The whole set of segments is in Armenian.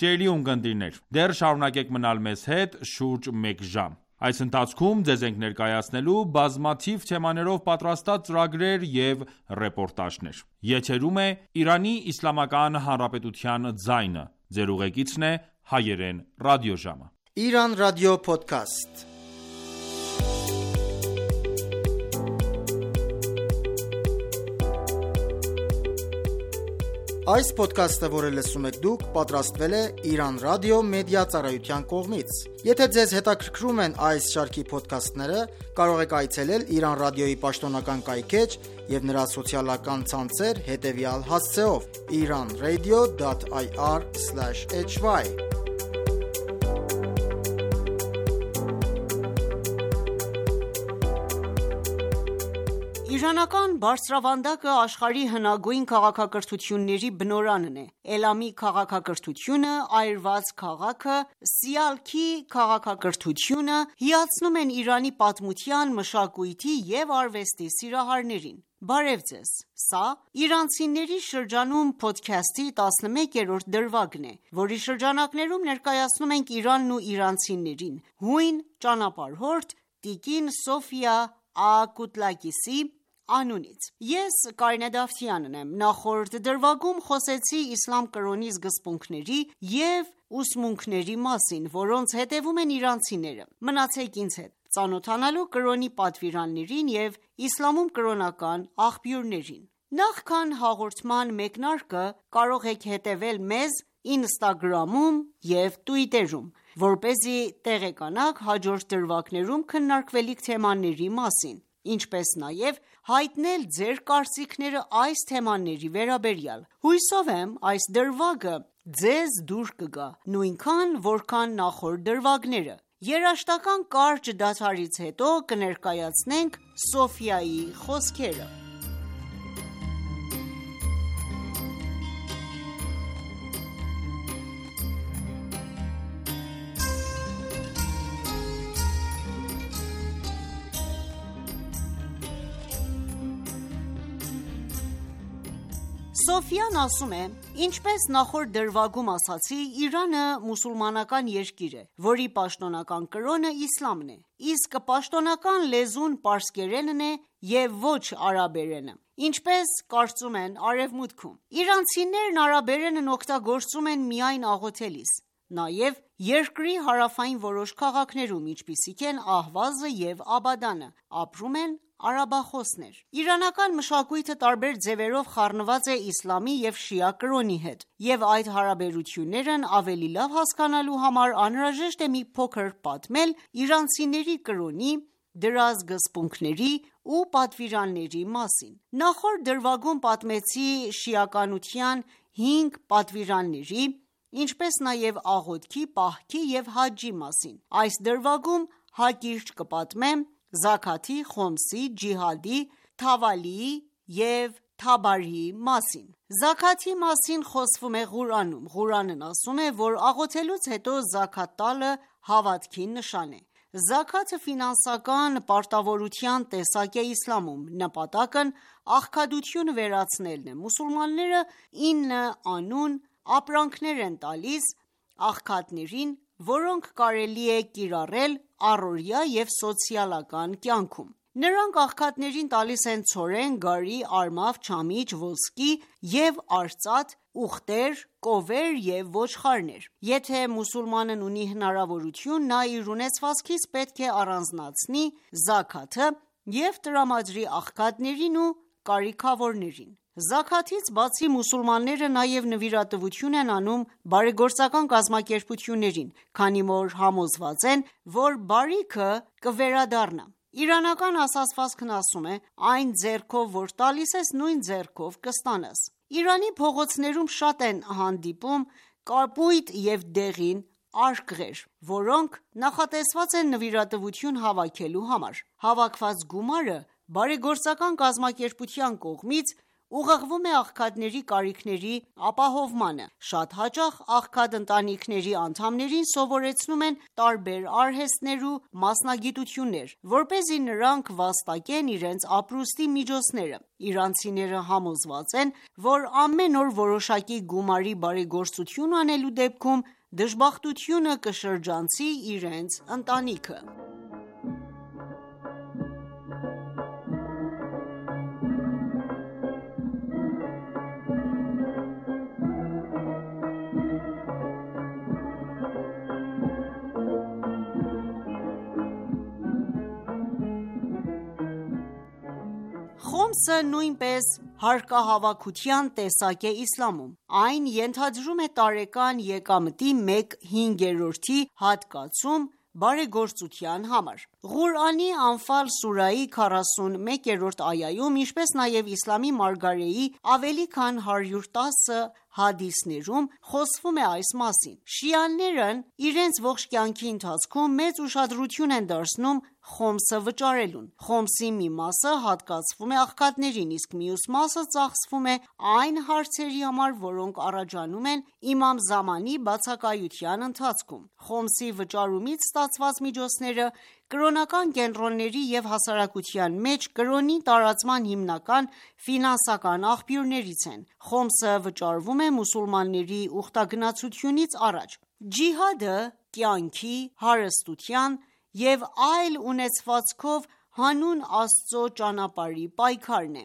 Սիրելի ունկնդիրներ, դեռ շարունակեք մնալ մեզ հետ շուրջ մեկ ժամ։ Այս ընթացքում ձեզ ենք ներկայացնելու բազմաթիվ թեմաներով պատրաստած ծրագրեր և ռեպորտաժներ։ Եթերում է Իրանի Իսլամական Հանրապետության ձայնը։ Ձեր ուղեկիցն է Հայերեն ռադիոժամը։ Iran Radio Podcast. Այս ոդքասթը, որը լսում եք դուք, պատրաստվել է Iran Radio Media ծառայության կողմից։ Եթե ձեզ հետաքրքրում են այս շարքի ոդքասթները, կարող եք այցելել Iran Radio-ի պաշտոնական կայքէջ և նրա սոցիալական ցանցեր հետևյալ հասցեով՝ iranradio.ir/hy։ Իրանական բարձրավանդակը աշխարհի հնագույն քաղաքակրթությունների բնօրանն է։ Էլամի քաղաքակրթությունը, այրված քաղաքը, Սիալքի քաղաքակրթությունը հիացնում են Իրանի պատմության, մշակույթի և արվեստի սիրահարներին։ Բարև ձեզ։ Սա Իրանցիների շրջանում փոդքասթի 11-րդ դրվագն է, որի շրջանակներում ներկայացնում ենք Իրանն ու իրանցիներին հույն ճանապարհորդ տիկին Սոֆիա Ակուտլակիսի անունից։ Ես Կարինե Դավթյանն եմ։ Նախորդ դրվագում խոսեցի իսլամ կրոնի սկզբունքների և ուսմունքների մասին, որոնց հետևում են իրանցիները։ Մնացեք ինձ հետ, ծանոթանալու կրոնի պատվիրաններին և իսլամում կրոնական աղբյուրներին։ Նախքան հաղորդման մեկնարկը կարող եք հետևել մեզ Instagram-ում և Twitter-ում, որպեսզի տեղեկանաք հաջորդ դրվագներում քննարկվելիք թեմաների մասին, ինչպես նաև հայտնել ձեր կարծիքները այս թեմաների վերաբերյալ։ Հուսով եմ այս դրվագը ձեզ դուր կգա, նույնքան որքան նախորդ դրվագները։ Երաժշտական կարճ դադարից հետո կներկայացնենք Սոֆիայի խոսքերը։ Սոֆիան ասում է. Ինչպես նախորդ դրվագում ասացի, Իրանը մուսուլմանական երկիր է, որի պաշտոնական կրոնը իսլամն է, իսկ պաշտոնական լեզուն պարսկերենն է և ոչ արաբերենը, ինչպես կարծում են արևմուտքում։ Իրանցիներն արաբերենն օգտագործում են միայն աղոթելիս, նաև երկրի հարավային որոշ քաղաքներում, ինչպիսիք են Ահվազը և Աբադանը, ապրում են արաբախոսներ։ Իրանական մշակույթը տարբեր ձևերով խառնված է իսլամի և շիա կրոնի հետ, և այդ հարաբերություններն ավելի լավ հասկանալու համար անհրաժեշտ է մի փոքր պատմել իրանցիների կրոնի, դրա սկզբունքների ու պատվիրանների մասին։ Նախորդ դրվագում պատմեցի շիականության 5 պատվիրանների, ինչպես նաև աղոթքի, պահքի և հաջջի մասին։ Այս դրվագում հակիրճ կպատմեմ զաքաթի, խոմսի, ջիհադի, թավալիի և թաբարիի մասին։ Զաքաթի մասին խոսվում է Ղուրանում։ Ղուրանն ասում է, որ աղոթելուց հետո զաքաթ տալը հավատքի նշան է։ Զաքաթը ֆինանսական պարտավորության տեսակ է իսլամում։ Նպատակն աղքատությունը վերացնելն է։ Մուսուլմանները 9 անուն ապրանքներ են տալիս աղքատներին, որոնք կարելի է կիրառել առօրյա և սոցիալական կյանքում։ Նրանք աղքատներին տալիս են ցորեն, գարի, արմավ, չամիչ, ոսկի և արծաթ, ուղտեր, կովեր և ոչխարներ։ Եթե մուսուլմանն ունի հնարավորություն, նա իր ունեցվածքից պետք է առանձնացնի զաքաթը և տրամադրի աղքատներին ու կարիքավորներին։ Զաքաթից բացի մուսուլմանները նաև նվիրատվություն են անում բարեգործական կազմակերպություններին, քանի որ համոզված են, որ բարիքը կվերադառնա։ Իրանական ասացվածքն ասում է. այն ձեռքով, որ տալիս ես, նույն ձեռքով կստանաս։ Իրանի փողոցներում շատ են հանդիպում կապույտ և դեղին արկղեր, որոնք նախատեսված են նվիրատվություն հավաքելու համար։ Հավաքված գումարը բարեգործական կազմակերպության կողմից ուղղվում է աղքատների կարիքների ապահովմանը։ Շատ հաճախ աղքատ ընտանիքների անդամներին սովորեցնում են տարբեր արհեստներ ու մասնագիտություններ, որպեսզի նրանք վաստակեն իրենց ապրուստի միջոցները։ Իրանցիները համոզված են, որ ամեն օր որոշակի գումարի բարեգործություն անելու դեպքում դժբախտությունը կշրջանցի իրենց ընտանիքը։ Խոմսը նույնպես հարկահավաքության տեսակ է իսլամում։ Այն ենթադրում է տարեկան եկամտի 1/5 հատկացում բարեգործության համար։ Ղուրանի Անֆալ սուրայի 41-րդ այայում, ինչպես նաև իսլամի մարգարեի ավելի քան 110 հադիսներում խոսվում է այս մասին։ Շիաներն իրենց ողջ կյանքի ընթացքում մեծ ուշադրություն են դարձնում խոմսը վճարելուն։ Խոմսի մի մասը հատկացվում է աղքատներին, իսկ մյուս մասը ծախսվում է այն հարցերի համար, որոնք առաջանում են իմամ Զամանի բացակայության ընթացքում։ Խոմսի վճարումից ստացված միջոցները կրոնական կենտրոնների և հասարակության մեջ կրոնի տարածման հիմնական ֆինանսական աղբյուրներից են։ Խոմսը վճարվում է մուսուլմանների ուխտագնացությունից առաջ։ Ջիհադը կյանքի, հարստության և այլ ունեցվածքով հանուն Աստծո ճանապարհի պայքարն է։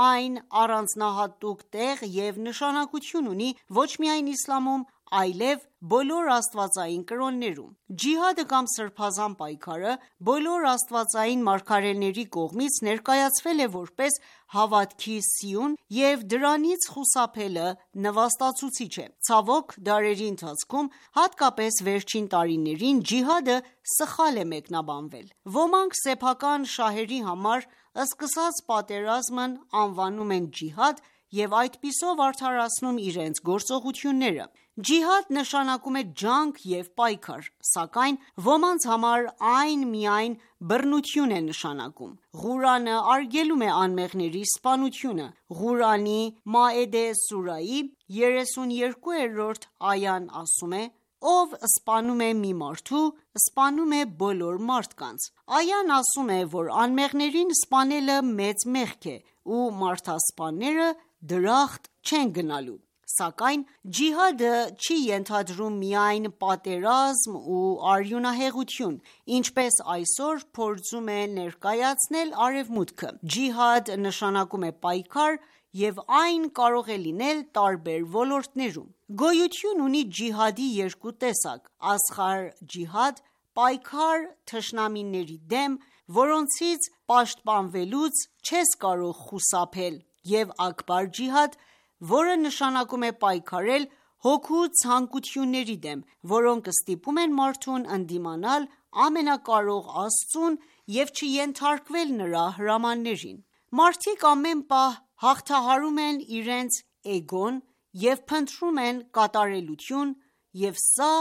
Այն առանձնահատուկ տեղ և նշանակություն ունի ոչ միայն իսլամում, այլև բոլոր աստվածային կրոններում։ Ջիհադը կամ սրբազան պայքարը բոլոր աստվածային մարգարեների կողմից ներկայացվել է որպես հավատքի սիուն և դրանից խուսափելը նվաստացուցիչ է։ Ցավոք, դարերի ընթացքում, հատկապես վերջին տարիներին, ջիհադը սխալ է մեկնաբանվել։ Ոմանք սեփական շահերի համար սկսած պատերազմն անվանում են ջիհադ և այդպիսով արդարացնում իրենց գործողությունները։ Ջիհադ նշանակում է ջանք և պայքար, սակայն ոմանց համար այն միայն բռնություն է նշանակում։ Ղուրանը արգելում է անմեղների սպանությունը։ Ղուրանի Մաեդե սուրայի 32-րդ այան ասում է. «Ով սպանում է մի մարդու, սպանում է բոլոր մարդկանց»։ Այան ասում է, որ անմեղներին սպանելը մեծ մեղք է ու մարդասպանները դրախտ չեն գնալու։ Սակայն ջիհադը չի ենթադրում միայն պատերազմ ու արյունահեղություն, ինչպես այսօր փորձում է ներկայացնել Արևմուտքը։ Ջիհադ նշանակում է պայքար և այն կարող է լինել տարբեր ոլորտներում։ Գոյություն ունի ջիհադի երկու տեսակ՝ ասղար ջիհադ, պայքար թշնամիների դեմ, որոնցից պաշտպանվելուց չես կարող խուսափել, և աքբար ջիհադ, որը նշանակում է պայքարել հոգու ցանկությունների դեմ, որոնք ստիպում են մարդուն ընդդիմանալ ամենակարող Աստծուն և չենթարկվել նրա հրամաններին։ Մարդիկ ամեն պահ հաղթահարում են իրենց էգոն և փնտրում են կատարելություն, և սա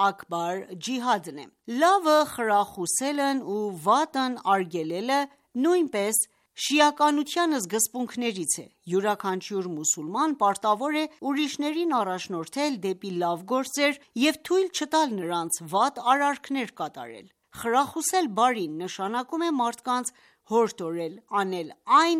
աքբար ջիհադն է։ Լավը խրախուսելն ու վատն արգելելը նույնպես շիականության սկզբունքներից է։ Յուրաքանչյուր մուսուլման պարտավոր է ուրիշներին առաջնորդել դեպի լավ գործեր և թույլ չտալ նրանց վատ արարքներ կատարել։ Խրախուսել բարին նշանակում է մարդկանց հորդորել անել այն,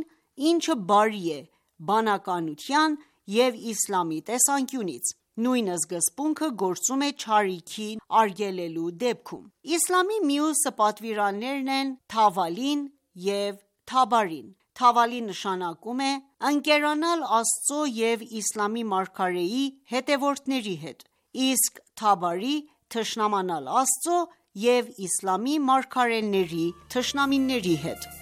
ինչը բարի է բանականության և իսլամի տեսանկյունից։ Նույն սկզբունքը գործում է չարիքի արգելելու դեպքում։ Իսլամի մյուս պատվիրաններն են թավալին և թաբարին։ Թավալի նշանակում է ընկերանալ Աստծո և իսլամի մարգարեի հետևորդների հետ, իսկ թաբարի՝ թշնամանալ Աստծո և իսլամի մարգարեների թշնամիների հետ։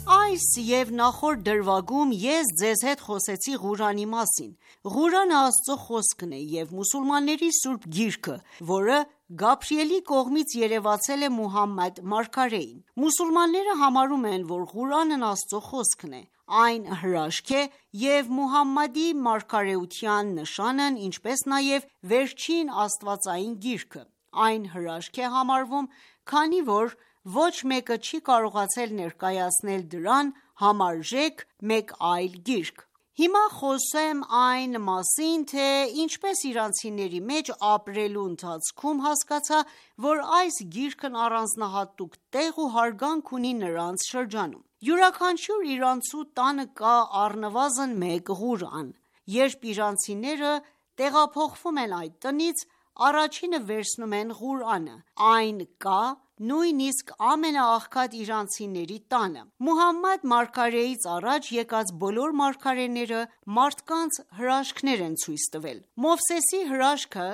Այս և նախորդ դրվագում ես ձեզ հետ խոսեցի Ղուրանի մասին։ Ղուրանը Աստծո խոսքն է և մուսուլմանների սուրբ գիրքը, որը Գաբրիելի կողմից երևացել է Մուհամմադ մարգարեին։ Մուսուլմանները համարում են, որ Ղուրանն Աստծո խոսքն է։ Այն հրաշք է և Մուհամմադի մարգարեության նշանն, ինչպես նաև վերջին աստվածային գիրքը։ Այն հրաշք է համարվում, քանի որ ոչ մեկը չի կարողացել ներկայացնել դրան համարժեք մեկ այլ գիրք։ Հիմա խոսեմ այն մասին, թե ինչպես իրանցիների մեջ ապրելու ընթացքում հասկացա, որ այս գիրքն առանձնահատուկ տեղ ու հարգանք ունի նրանց շրջանում։ Յուրաքանչյուր իրանցու տանը կա առնվազն մեկ Ղուրան։ Երբ իրանցիները տեղափոխվում են այդ տնից, առաջինը վերցնում են Ղուրանը։ Այն կա նույնիսկ ամենաաղքատ իրանցիների տանը։ Մուհամմադ մարգարեից առաջ եկած բոլոր մարգարեները մարդկանց հրաշքներ են ցույց տվել։ Մովսեսի հրաշքը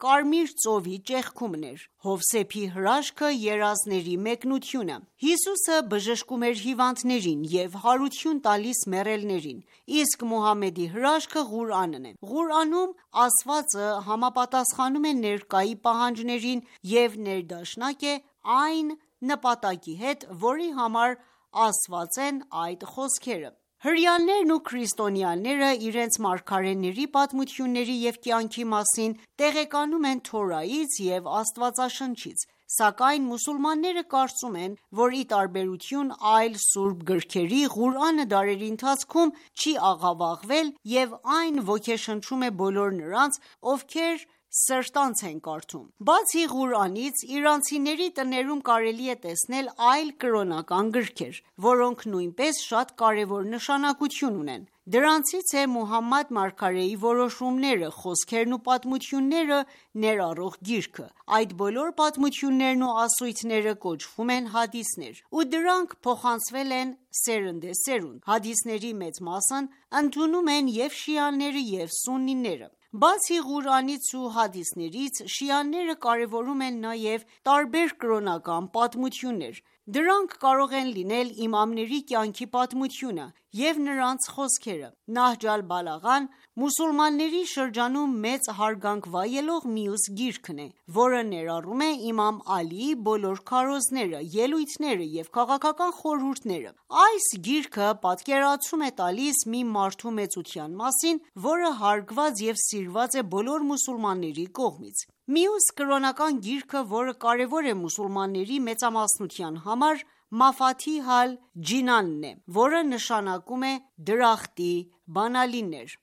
կարմիր ծովի ճեղքումն էր, Հովսեփի հրաշքը երազների մեկնությունը, Հիսուսը բժշկում էր հիվանդներին և հարություն տալիս մեռելներին, իսկ Մուհամմեդի հրաշքը Ղուրանն է։ Ղուրանում ասվածը համապատասխանում է ներկայի պահանջներին և ներդաշնակ է այն նպատակի հետ, որի համար ասված են այդ խոսքերը։ Հրեաներն ու քրիստոնյաները իրենց մարգարեների պատմությունների և կյանքի մասին տեղեկանում են Թորայից և Աստվածաշնչից, սակայն մուսուլմանները կարծում են, որ ի տարբերություն այլ սուրբ գրքերի, Ղուրանը դարերի ընթացքում չի աղավաղվել և այն ոգեշնչում է բոլոր նրանց, ովքեր սրտանց են կարդում։ Բացի Ղուրանից, իրանցիների տներում կարելի է տեսնել այլ կրոնական գրքեր, որոնք նույնպես շատ կարևոր նշանակություն ունեն։ Դրանցից է Մուհամմադ մարգարեի որոշումները, խոսքերն ու պատմությունները ներառող գիրքը։ Այդ բոլոր պատմություններն ու ասույթները կոչվում են հադիսներ, ու դրանք փոխանցվել են սերնդեսերունդ։ Հադիսների մեծ մասն ընդունում են և շիաները, և սուննիները։ Բացի Ղուրանից ու հադիսներից, շիաները կարևորում են նաև տարբեր կրոնական պատմություններ։ Դրանք կարող են լինել իմամների կյանքի պատմությունը և նրանց խոսքերը։ Նահջ ալ-Բալաղան մուսուլմանների շրջանում մեծ հարգանք վայելող մյուս գիրքն է, որը ներառում է իմամ Ալիի բոլոր քարոզները, ելույթները և քաղաքական խորհուրդները։ Այս գիրքը պատկերացում է տալիս մի մարդու մեծության մասին, որը հարգված և սիրված է բոլոր մուսուլմանների կողմից։ Մյուս կրոնական գիրքը, որը կարևոր է մուսուլմանների մեծամասնության համար, Մաֆաթիհ ալ-Ջինանն է, որը նշանակում է դրախտի բանալիներ։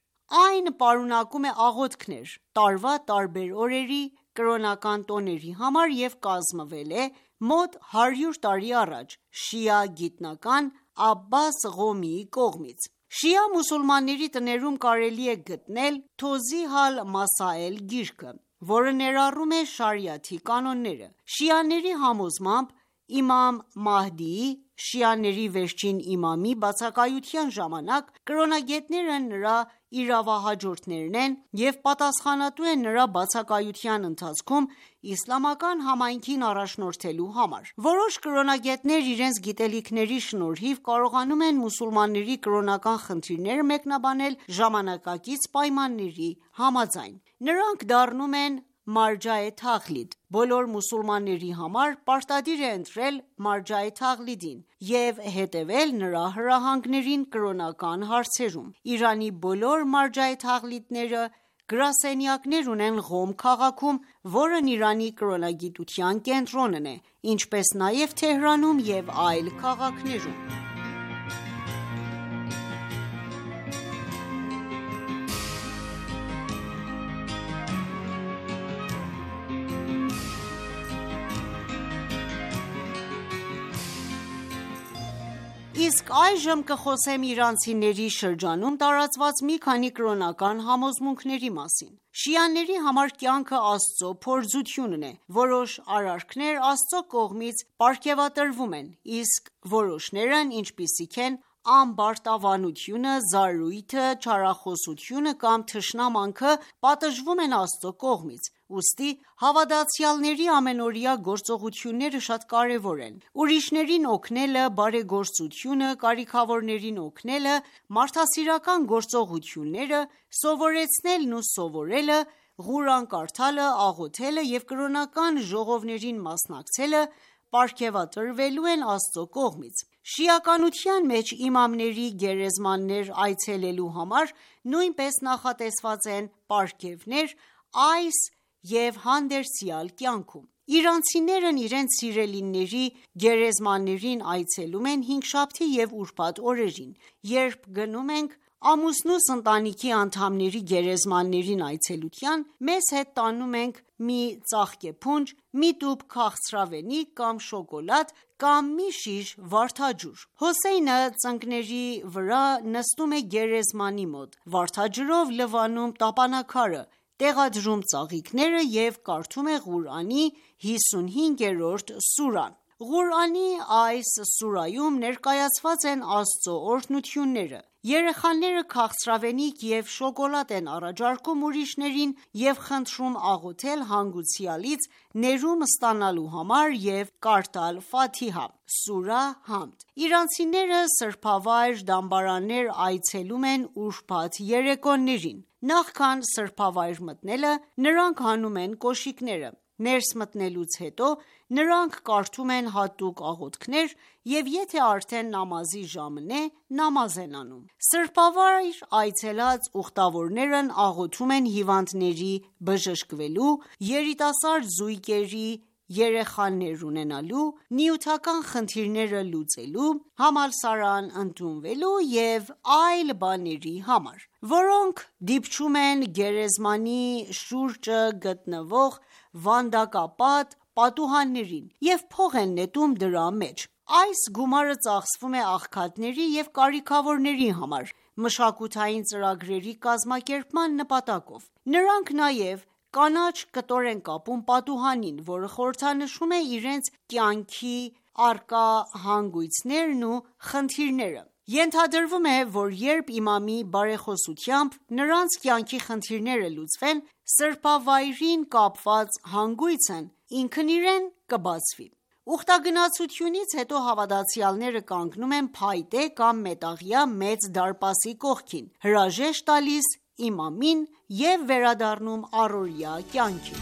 Այն պարունակում է աղոթքներ տարվա տարբեր օրերի, կրոնական տոների համար և կազմվել է մոտ 100 տարի առաջ շիա գիտնական Աբբաս Ղոմիի կողմից։ Շիա մուսուլմանների տներում կարելի է գտնել Թոզիհ ալ-Մասաել գիրքը, որը ներառում է շարիաթի կանոնները։ Շիաների համոզմամբ, իմամ Մահդիի, շիաների վերջին իմամի բացակայության ժամանակ կրոնագետները նրա իրավահաջորդներն են և պատասխանատու են նրա բացակայության ընթացքում իսլամական համայնքին առաջնորդելու համար։ Որոշ կրոնագետներ իրենց գիտելիքների շնորհիվ կարողանում են մուսուլմանների կրոնական խնդիրները մեկնաբանել ժամանակակից պայմանների համաձայն։ Նրանք դառնում են Մարջա Թաղլիդ։ Բոլոր մուսուլմանների համար պարտադիր է ընտրել Մարջա Թաղլիդին և հետևել նրա հրահանգներին կրոնական հարցերում։ Իրանի բոլոր Մարջա Թաղլիդները գրասենյակներ ունեն Ղոմ քաղաքում, որն Իրանի կրոնագիտության կենտրոնն է, ինչպես նաև Թեհրանում և այլ քաղաքներում։ Իսկ այժմ կխոսեմ իրանցիների շրջանում տարածված մի քանի կրոնական համոզմունքների մասին։ Շիաների համար կյանքը Աստծո փորձությունն է։ Որոշ արարքներ Աստծո կողմից պարգևատրվում են, իսկ որոշներն, ինչպիսիք են ամբարտավանությունը, զարույթը, չարախոսությունը կամ թշնամանքը, պատժվում են Աստծո կողմից։ Ուստի հավատացյալների ամենօրյա գործողությունները շատ կարևոր են։ Ուրիշներին օգնելը, բարեգործությունը, կարիքավորներին օգնելը, մարդասիրական գործողությունները, սովորեցնելն ու սովորելը, Ղուրան կարդալը, աղոթելը և կրոնական ժողովներին մասնակցելը պարգևատրվելու են Աստծո կողմից: Շիականության մեջ իմամների գերեզմաններ այցելելու համար նույնպես նախատեսված են պարգևներ այս և հանդերձյալ կյանքում: Իրանցիներն իրենց սիրելիների գերեզմաններին այցելում են հինգշաբթի և ուրբաթ օրերին: Երբ գնում ենք ամուսնուս ընտանիքի անդամների գերեզմաններին այցելության, մեզ հետ տանում ենք մի ծաղկեփունջ, մի տուփ քաղցրավենիք կամ շոկոլադ կամ մի շիշ վարդաջուր: Հոսեյնը ծնկների վրա նստում է գերեզմանի մոտ, վարդաջրով լվանում տապանաքարը, տեղադրում ծաղիկները և կարդում է Ղուրանի 55-րդ սուրան: Ղուրանի այս սուրայում ներկայացված են Աստծո օրհնությունները: Երեխաները քաղցրավենիք և շոկոլադ են առաջարկում ուրիշներին և խնդրում աղոթել հանգուցյալից ներում ստանալու համար և կարդալ Ֆաթիհա (սուրահ Համդ): Իրանցիները սրբավայր դամբարաններ այցելում են ուրբաթ երեկոներին: Նախքան սրբավայր մտնելը, նրանք հանում են կոշիկները: Ներս մտնելուց հետո նրանք կարդում են հատուկ աղոթքներ և եթե արդեն նամազի ժամն է, նամազ են անում: Սրբավայր այցելած ուխտավորներն աղոթում են հիվանդների բժշկվելու, երիտասարդ զույգերի երեխաներ ունենալու, նյութական խնդիրները լուծելու, համալսարան ընդունվելու և այլ բաների համար, որոնք դիպչում են գերեզմանի շուրջը գտնվող վանդակապատ պատուհաններին և փող են նետում դրա մեջ: Այս գումարը ծախսվում է աղքատների և կարիքավորների համար, մշակութային ծրագրերի կազմակերպման նպատակով: Նրանք նաև կանաչ կտոր են կապում պատուհանին, որը խորհրդանշում է իրենց կյանքի առկա հանգույցներն ու խնդիրները: Ենթադրվում է, որ երբ իմամի բարեխոսությամբ նրանց կյանքի խնդիրները լուծվեն, սրբավայրին կապված հանգույցն ինքն իրեն կբացվի: Ուխտագնացությունից հետո հավատացյալները կանգնում են փայտե կամ մետաղյա մեծ դարպասի կողքին, հրաժեշտ տալիս իմամին և վերադառնում առօրյա կյանքին: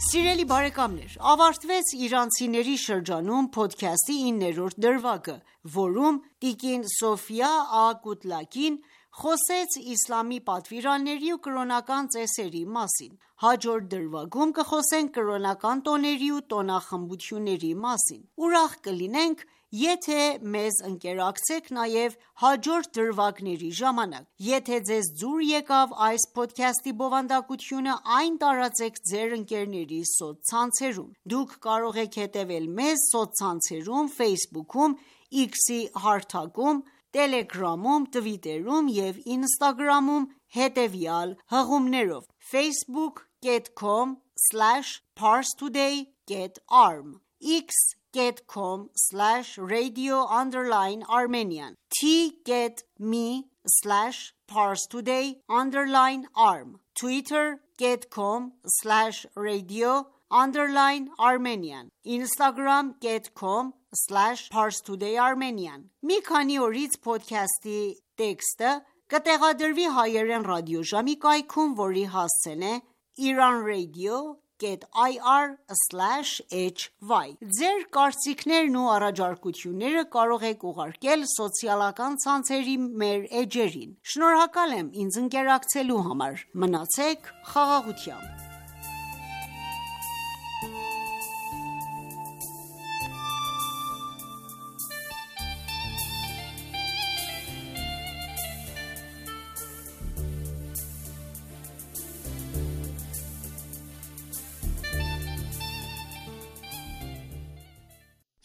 Սիրելի բարեկամներ ավարտվեց իրանցիների շրջանում փոդքասթի 9-րդ դրվագը, որում տիկին Սոֆիա Ա.Կուտլակին խոսեց իսլամի պատվիրանների ու կրոնական ծեսերի մասին: Հաջորդ դրվագում կխոսենք կրոնական տոների ու տոնախմբությունների մասին: Ուրախ կլինենք, եթե մեզ ընկերակցեք նաև հաջորդ դրվագների ժամանակ: Եթե ձեզ դուր եկավ այս փոդքասթի բովանդակությունը, այն տարածեք ձեր ընկերների սոցցանցերում: Դուք կարող եք հետևել մեզ սոցցանցերում Facebook-ում, X-ի հարթակում, Telegram-ում, Twitter-ում և Instagram-ում հետևյալ հղումներով՝ facebook.com/parstoday.arm x.com/radio_Armenian t.me/parstoday_arm twitter.com/radio_Armenian instagram.com/parstoday_Armenian Մի քանի օրից փոդքասթի տեքստը կտեղադրվի հայերեն ռադիոժամի կայքում, որի հասցեն է iranradio.ir/hy: Ձեր կարծիքներն ու առաջարկությունները կարող եք ուղարկել սոցիալական ցանցերի մեր էջերին: Շնորհակալ եմ ինձ ընկերակցելու համար: Մնացեք խաղաղությամբ: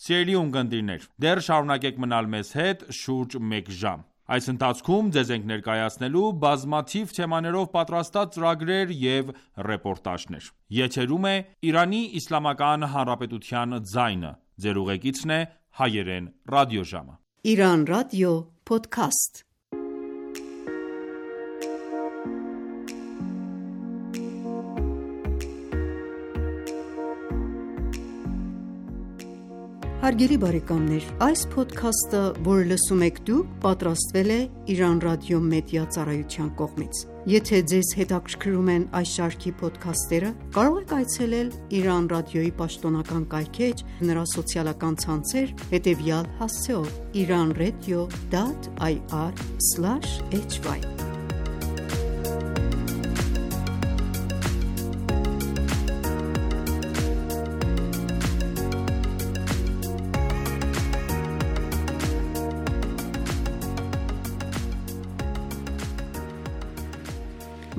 Սիրելի ունկնդիրներ, դեռ շարունակեք մնալ մեզ հետ շուրջ մեկ ժամ: Այս ընթացքում ձեզ ենք ներկայացնելու բազմաթիվ թեմաներով պատրաստած ծրագրեր և ռեպորտաժներ: Եթերում է Իրանի Իսլամական Հանրապետության ձայնը: Ձեր ուղեկիցն է Հայերեն ռադիոժամը: Իրանական ռադիո փոդքասթ: Հարգելի բարեկամներ, այս փոդքասթը, որը լսում եք դուք, պատրաստվել է Իրանական ռադիո մեդիա ծառայության կողմից։ Եթե ձեզ հետաքրքրում են այս շարքի փոդքասթերը, կարող եք այցելել Իրանական ռադիոյի պաշտոնական կայքէջ, նրա սոցիալական ցանցեր, հետևյալ հասցեով՝ iranradio.ir/hy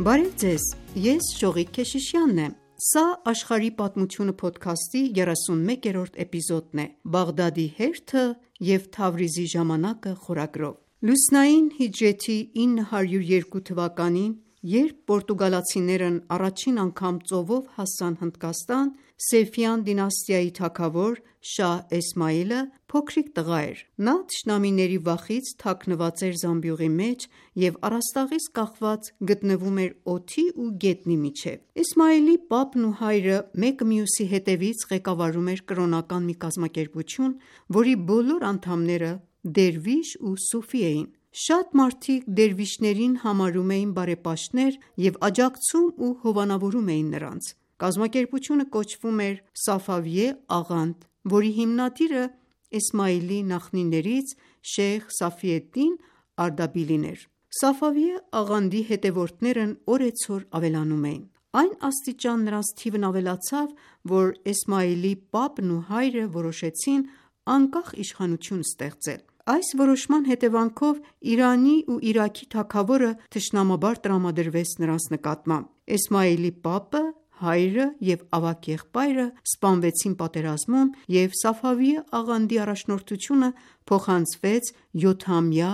Բարև ձեզ, ես Շողիկ Քեշիշյանն եմ։ Սա աշխարհի պատմությունը փոդքասթի 31-րդ էպիզոդն է՝ Բաղդադի հերթը և Թավրիզի ժամանակը խորագրով։ Լուսնային հիջրեթի 902 թվականին, երբ պորտուգալացիներն առաջին անգամ ծովով հասան Հնդկաստան, Սեֆյան դինաստիայի թագավոր Շահ Էսմայիլը փոքրիկ տղա էր։ Նա թշնամիների վախից թաքնված էր զամբյուղի մեջ և առաստաղից կախված գտնվում էր օդի ու գետնի միջև։ Էսմայիլի պապն ու հայրը մեկը մյուսի հետևից ղեկավարում էր կրոնական մի կազմակերպություն, որի բոլոր անդամները դերվիշ ու սուֆի էին։ Շատ մարդիկ դերվիշներին համարում էին բարեպաշտներ և աջակցում ու հովանավորում էին նրանց։ Կազմակերպությունը կոչվում էր Սաֆավիե աղանդ, որի հիմնադիրը Էսմայիլի նախնիներից Շեյխ Սաֆիեդդին Արդաբիլին էր։ Սաֆավիե աղանդի հետևորդներն օրեցօր ավելանում էին։ Այն աստիճան նրանց թիվն ավելացավ, որ Էսմայիլի պապն ու հայրը որոշեցին անկախ իշխանություն ստեղծել։ Այս որոշման հետևանքով Իրանի ու Իրաքի թագավորը թշնամաբար տրամադրվեց նրանց նկատմամբ։ Էսմայիլի պապը, հայրը և ավագ եղբայրը սպանվեցին պատերազմում, և Սաֆավիե աղանդի առաջնորդությունը փոխանցվեց 7-ամյա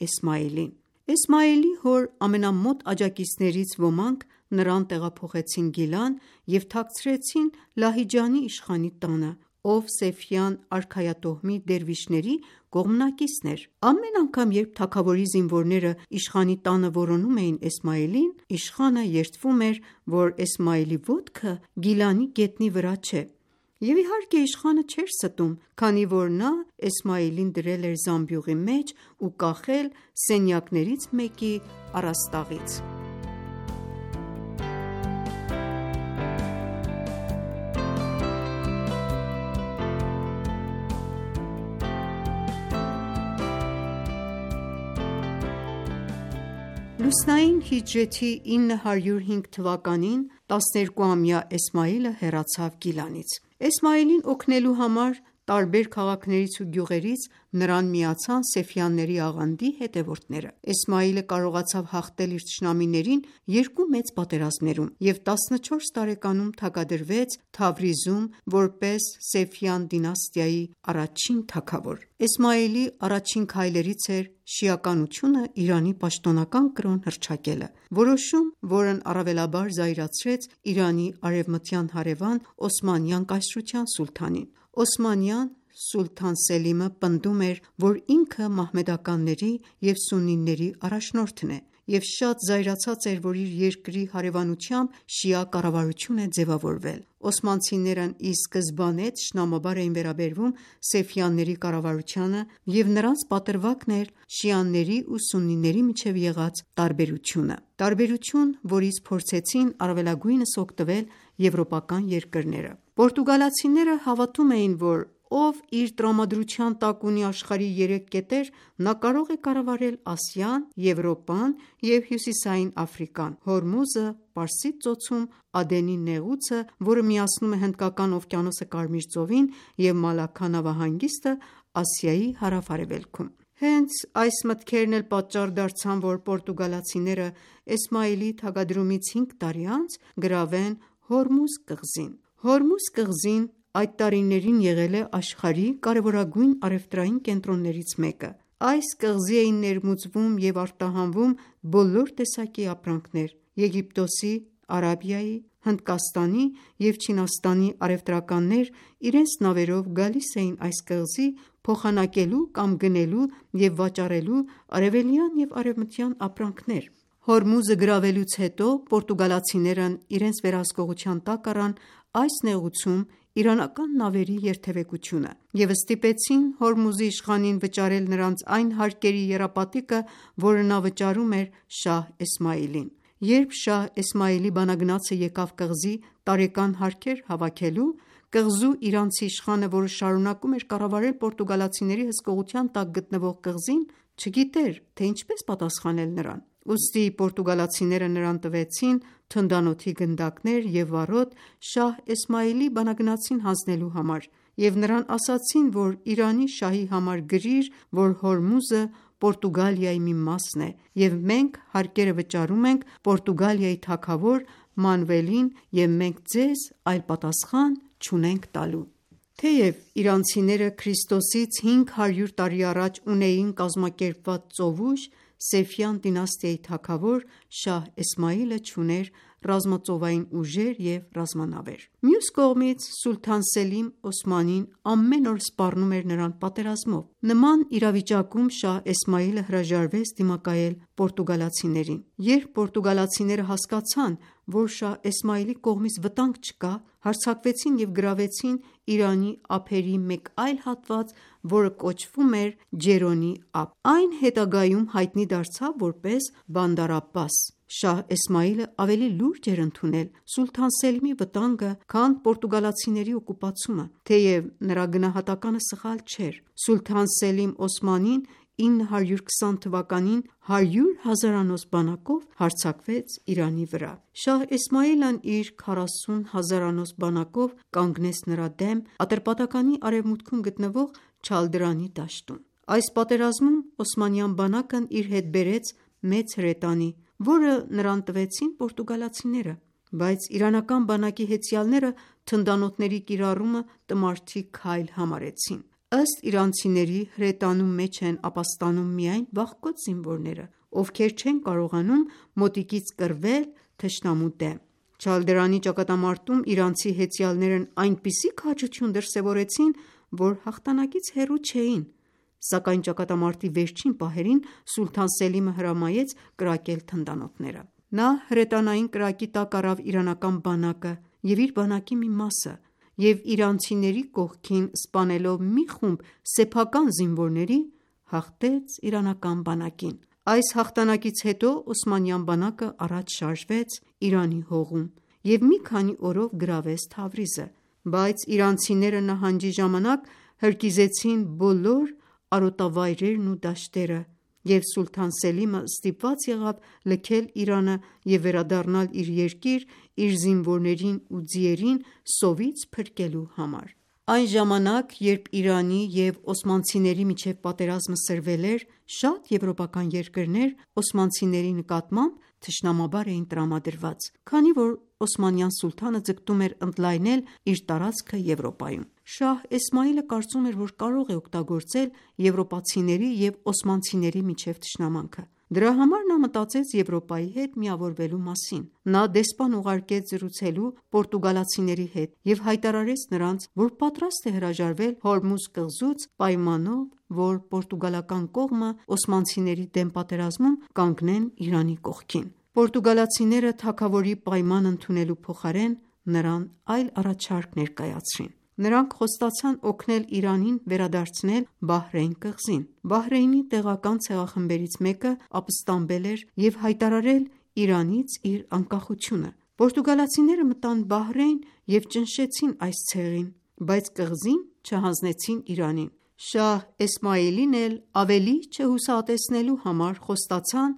Էսմայիլին։ Էսմայիլի հոր ամենամոտ աջակիցներից ոմանք նրան տեղափոխեցին Գիլան և թաքցրեցին Լահիջանի իշխանի տանը, ով Սեֆյան արքայատոհմի դերվիշների կողմնակիցն էր։ Ամեն անգամ, երբ թագավորի զինվորները իշխանի տանը որոնում էին Էսմայիլին, իշխանը երդվում էր, որ Էսմայիլի ոտքը Գիլանի գետնի վրա չէ։ Եվ իհարկե իշխանը չէր ստում, քանի որ նա Էսմայիլին դրել էր զամբյուղի մեջ ու կախել սենյակներից մեկի առաստաղից։ Լուսնային հիջրեթի 905 թվականին 12-ամյա Էսմայիլը հեռացավ Գիլանից։ Էսմայիլին օգնելու համար տարբեր քաղաքներից ու գյուղերից նրան միացան Սեֆյանների աղանդի հետևորդները։ Էսմայիլը կարողացավ հաղթել իր թշնամիներին երկու մեծ պատերազմներում և 14 տարեկանում թագադրվեց Թավրիզում որպես Սեֆյան դինաստիայի առաջին թագավոր։ Էսմայիլի առաջին քայլերից էր շիականությունը Իրանի պաշտոնական կրոն հռչակելը, որոշում, որն առավելաբար զայրացրեց Իրանի արևմտյան հարևան Օսմանյան կայսրության սուլթանին։ Օսմանյան սուլթան Սելիմը պնդում էր, որ ինքը մահմեդականների և սուննիների առաջնորդն է և շատ զայրացած էր, որ իր երկրի հարևանությամբ շիա կառավարություն է ձևավորվել։ Օսմանցիներն ի սկզբանե թշնամաբար էին վերաբերվում Սեֆյանների կառավարությանը և նրանց պատրվակն էր շիաների ու սուննիների միջև եղած տարբերություն, որից փորձեցին առավելագույնս օգտվել եվրոպական երկրները։ Պորտուգալացիները հավատում էին, որ ով իր տրամադրության տակ ունի աշխարհի 3 կետեր, նա կարող է կառավարել Ասիան, Եվրոպան և Հյուսիսային Աֆրիկան, Հորմուզը Պարսից ծոցում, Ադենի նեղուցը, որը միացնում է Հնդկական օվկիանոսը Կարմիր ծովին, և Մալաքքա նավահանգիստը Ասիայի հարավ-արևելքում։ Հենց այս մտքերն էլ պատճառ դարձան, որ պորտուգալացիները Էսմայիլի թագադրումից 5 տարի անց գրավեն Հորմուզ կղզին։ Հորմուզ կղզին այդ տարիներին եղել է աշխարհի կարևորագույն առևտրային կենտրոններից մեկը։ Այս կղզի էին ներմուծվում և արտահանվում բոլոր տեսակի ապրանքներ։ Եգիպտոսի, Արաբիայի, Հնդկաստանի և Չինաստանի առևտրականներ իրենց նավերով գալիս էին այս կղզի փոխանակելու կամ գնելու և վաճառելու արևելյան և արևմտյան ապրանքներ։ Հորմուզը գրավելուց հետո պորտուգալացիներն իրենց վերահսկողության տակ առան այս նեղուցում իրանական նավերի երթևեկությունը և ստիպեցին Հորմուզի իշխանին վճարել նրանց այն հարկերի եռապատիկը, որը նա վճարում էր Շահ Էսմաիլին։ Երբ Շահ Էսմաիլի բանագնացը եկավ կղզի տարեկան հարքեր հավաքելու, կղզու իրանցի իշխանը, որը շարունակում էր կառավարել պորտուգալացիների հսկողության տակ գտնվող կղզին, չգիտեր, թե ինչպես պատասխանել նրան։ Ուստի պորտուգալացիները նրան տվեցին թնդանոթի գնդակներ և վառոդ Շահ Էսմաիլի բանագնացին հանձնելու համար և նրան ասացին, որ Իրանի շահի համար գրիր, որ Հորմուզը Պորտուգալիայի մի մասն է, և մենք հարկերը վճարում ենք Պորտուգալիայի թագավոր Մանուելին, և մենք ձեզ այլ պատասխան չունենք տալու։ Թեև իրանցիները Քրիստոսից 500 տարի առաջ ունեին կազմակերպված ծովուժ, Սեֆյան դինաստիայի թագավոր Շահ Էսմաիլը չուներ ռազմածովային ուժեր և ռազմանավեր։ Մյուս կողմից Սուլթան Սելիմ Օսմանին ամեն օր սպառնում էր նրան պատերազմով։ Նման իրավիճակում Շահ Էսմաիլը հրաժարվեց դիմակայել պորտուգալացիներին։ Երբ պորտուգալացիները հասկացան, որ Շահ Էսմաիլի կողմից վտանգ չկա, հարձակվեցին և գրավեցին Իրանի ափերի մեկ այլ հատված, որը կոչվում էր Ջերոնի ափ։ Այն հետագայում հայտնի դարձավ որպես Բանդար Աբբաս։ Շահ Էսմաիլը ավելի լուրջ էր ընդունել Սուլթան Սելիմի վտանգը, քան պորտուգալացիների օկուպացումը, թեև նրա գնահատականը սխալ չէր։ Սուլթան Սելիմ Օսմանին 920 թվականին 100 հազարանոց բանակով հարձակվեց Իրանի վրա։ Շահ Էսմաիլն իր 40 հազարանոց բանակով կանգնեց նրա դեմ Ատրպատականի արևմուտքում գտնվող Չալդրանի դաշտում։ Այս պատերազմում օսմանյան բանակն իր հետ բերեց մեծ հրետանի, որը նրան տվեցին պորտուգալացիները, բայց իրանական բանակի հեծյալները թնդանոթների կիրառումը տմարդի քայլ համարեցին։ Ըստ իրանցիների, հրետանու մեջ են ապաստանում միայն վախկոտ զինվորները, ովքեր չեն կարողանում մոտիկից կռվել թշնամու դեմ։ Չալդրանի ճակատամարտում իրանցի հեծյալներն այնպիսի քաջություն դրսևորեցին, որ հաղթանակից հեռու չէին, սակայն ճակատամարտի վերջին պահերին Սուլթան Սելիմը հրամայեց կրակել թնդանոթները։ Նա հրետանային կրակի տակ առավ իրանական բանակը և իր բանակի մի մասը և իրանցիների կողքին սպանելով մի խումբ սեփական զինվորների, հաղթեց իրանական բանակին։ Այս հաղթանակից հետո օսմանյան բանակը առաջ շարժվեց Իրանի հողում և մի քանի օրով գրավեց Թավրիզը, բայց իրանցիները նահանջի ժամանակ հրկիզեցին բոլոր արոտավայրերն ու դաշտերը, և Սուլթան Սելիմը ստիպված եղավ լքել Իրանը և վերադառնալ իր երկիր՝ իր զինվորներին ու ձիերին սովից փրկելու համար։ Այն ժամանակ, երբ Իրանի և օսմանցիների միջև պատերազմը սրվել էր, շատ եվրոպական երկրներ օսմանցիների նկատմամբ թշնամաբար էին տրամադրված, քանի որ օսմանյան սուլթանը ձգտում էր ընդլայնել իր տարածքը Եվրոպայում։ Շահ Էսմաիլը կարծում էր, որ կարող է օգտագործել եվրոպացիների և օսմանցիների միջև թշնամանքը։ Դրա համար նա մտածեց Եվրոպայի հետ միավորվելու մասին։ Նա դեսպան ուղարկեց զրուցելու պորտուգալացիների հետ և հայտարարեց նրանց, որ պատրաստ է հրաժարվել Հորմուզ կղզուց պայմանով, որ պորտուգալական կողմը օսմանցիների դեմ պատերազմում կանգնեն Իրանի կողքին։ Պորտուգալացիները թագավորի պայմանն ընդունելու փոխարեն նրան այլ առաջարկ ներկայացրին։ Նրանք խոստացան օգնել Իրանին վերադարձնել Բահրեյն կղզին։ Բահրեյնի տեղական ցեղախմբերից մեկը ապստամբել էր և հայտարարել Իրանից իր անկախությունը։ Պորտուգալացիները մտան Բահրեյն և ճնշեցին այս ցեղին, բայց կղզին չհանձնեցին Իրանին։ Շահ Էսմաիլին էլ ավելի չհուսահատեցնելու համար խոստացան,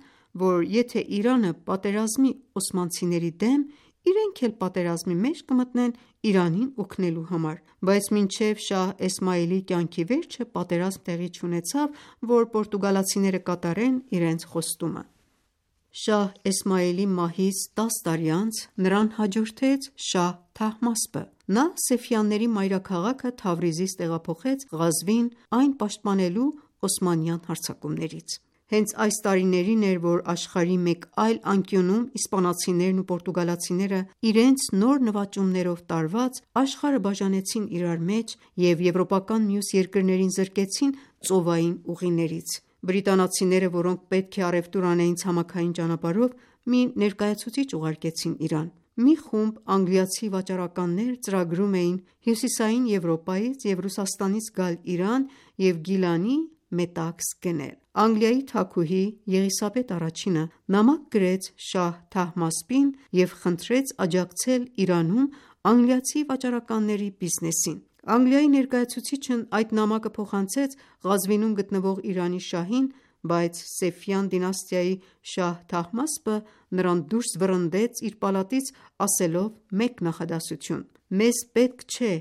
որ եթե Իրանը պատերազմի օսմանցիների դեմ, իրենք էլ պատերազմի մեջ կմտնեն Իրանին օգնելու համար, բայց մինչև Շահ Էսմաիլի կյանքի վերջը պատերազմ տեղի չունեցավ, որ պորտուգալացիները կատարեն իրենց խոստումը։ Շահ Էսմաիլի մահից 10 տարի անց նրան հաջորդեց Շահ Թահմասպը։ Նա Սեֆյանների մայրաքաղաքը Թավրիզից տեղափոխեց Ղազվին, այն պաշտպանելու օսմանյան հարձակումներից։ Հենց այս տարիներին էր, որ աշխարհի մեկ այլ անկյունում իսպանացիներն ու պորտուգալացիները իրենց նոր նվաճումներով տարված աշխարհը բաժանեցին իրար մեջ և եվրոպական մյուս երկրներին զրկեցին ծովային ուղիներից։ Բրիտանացիները, որոնք պետք է առևտուր անեին ցամաքային ճանապարհով, մի ներկայացուցիչ ուղարկեցին Իրան։ Մի խումբ անգլիացի վաճառականներ ծրագրում էին Հյուսիսային Եվրոպայից և Ռուսաստանից գալ Իրան և Գիլանի մետաքս գնել։ Անգլիայի թագուհի Եղիսաբեթ առաջինը նամակ գրեց շահ Թահմասպին և խնդրեց աջակցել Իրանում անգլիացի վաճառականների բիզնեսին։ Անգլիայի ներկայացուցիչն այդ նամակը փոխանցեց Ղազվինում գտնվող Իրանի շահին, բայց Սեֆյան դինաստիայի շահ Թահմասպը նրան դուրս վռնդեց իր պալատից ասելով մեկ նախադասություն. «Մեզ պետք չէ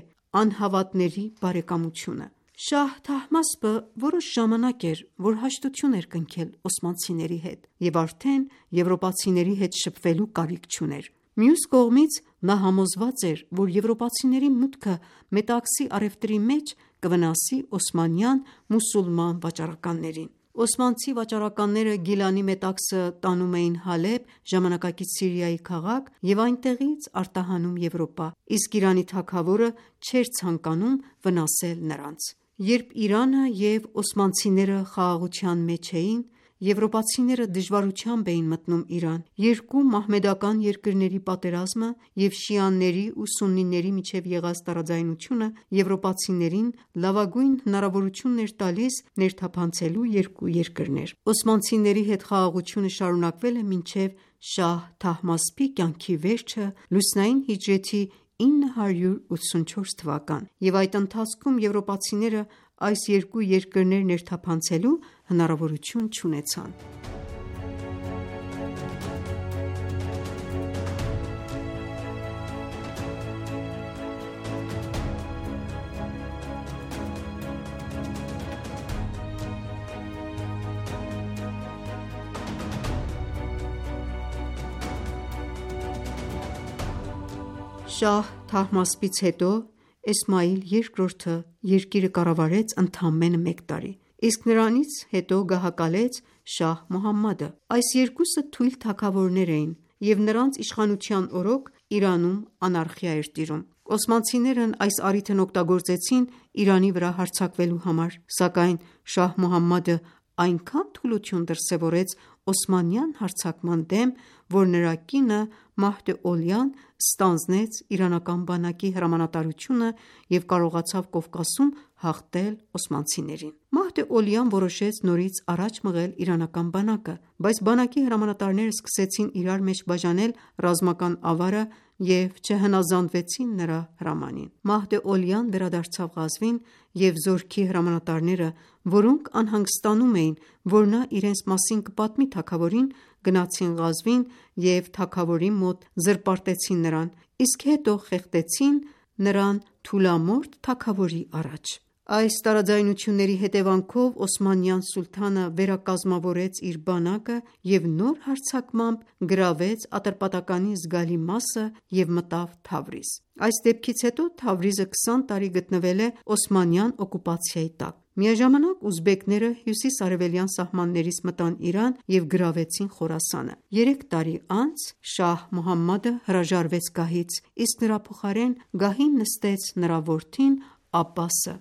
անհավատների բարեկամությունը»։ Շահ Թահմասպը որոշ ժամանակ էր, որ հաշտություն էր կնքել օսմանցիների հետ և արդեն եվրոպացիների հետ շփվելու կարիք չուներ։ Մյուս կողմից, նա համոզված էր, որ եվրոպացիների մուտքը Մետաքսի առևտրի մեջ կվնասի օսմանյան մուսուլման վաճառականներին։ Օսմանցի վաճառականները Գիլանի մետաքսը տանում էին Հալեբ, ժամանակակից Սիրիայի քաղաք և այնտեղից արտահանում Եվրոպա, իսկ Իրանի թագավորը չէր ցանկանում վնասել նրանց։ Երբ Իրանը և օսմանցիները խաղաղության մեջ էին, եվրոպացիները դժվարությամբ էին մտնում Իրան։ Երկու մահմեդական երկրների պատերազմը և շիաների ու սուննիների միջև եղած տարաձայնությունը եվրոպացիներին լավագույն հնարավորությունն էր տալիս ներթափանցելու երկու երկրներ։ Օսմանցիների հետ խաղաղությունը շարունակվել է մինչև շահ Թահմասպի կյանքի վերջը լուսնային հիջրեթի 984 թվական, և այդ ընթացքում եվրոպացիները այս երկու երկրներ ներթափանցելու հնարավորություն չունեցան։ Շահ Թահմասպից հետո Էսմայիլ II-ը երկիրը կառավարեց ընդամենը մեկ տարի, իսկ նրանից հետո գահակալեց շահ Մուհամմադը։ Այս երկուսը թույլ թագավորներ էին, և նրանց իշխանության օրոք Իրանում անարխիա էր տիրում։ Օսմանցիներն այս առիթն օգտագործեցին Իրանի վրա հարձակվելու համար, սակայն շահ Մուհամմադը այնքան թուլություն դրսևորեց օսմանյան հարձակման դեմ, որ նրա կինը Մահդե Օլյան ստանձնեց իրանական բանակի հրամանատարությունը և կարողացավ Կովկասում հաղթել օսմանցիներին։ Մահդե Օլյան որոշեց նորից առաջ մղել իրանական բանակը, բայց բանակի հրամանատարները սկսեցին իրար մեջ բաժանել ռազմական ավարը և չհնազանդվեցին նրա հրամանին։ Մահդե Օլյան վերադարձավ Ղազվին, և զորքի հրամանատարները, որոնք անհանգստանում էին, որ նա իրենց մասին կպատմի թագավորին, գնացին Ղազվին և թագավորի մոտ զրպարտեցին նրան, իսկ հետո խեղդեցին նրան թուլամորթ թագավորի առաջ։ Այս տարաձայնությունների հետևանքով օսմանյան սուլթանը վերակազմավորեց իր բանակը և նոր հարձակմամբ գրավեց Ատրպատականի զգալի մասը և մտավ Թավրիզ։ Այս դեպքից հետո Թավրիզը 20 տարի գտնվել է օսմանյան օկուպացիայի տակ։ Միաժամանակ ուզբեկները հյուսիս-արևելյան սահմաններից մտան Իրան և գրավեցին Խորասանը։ 3 տարի անց շահ Մուհամմադը հրաժարվեց գահից, իսկ նրա փոխարեն գահին նստեց նրա որդին Աբբասը։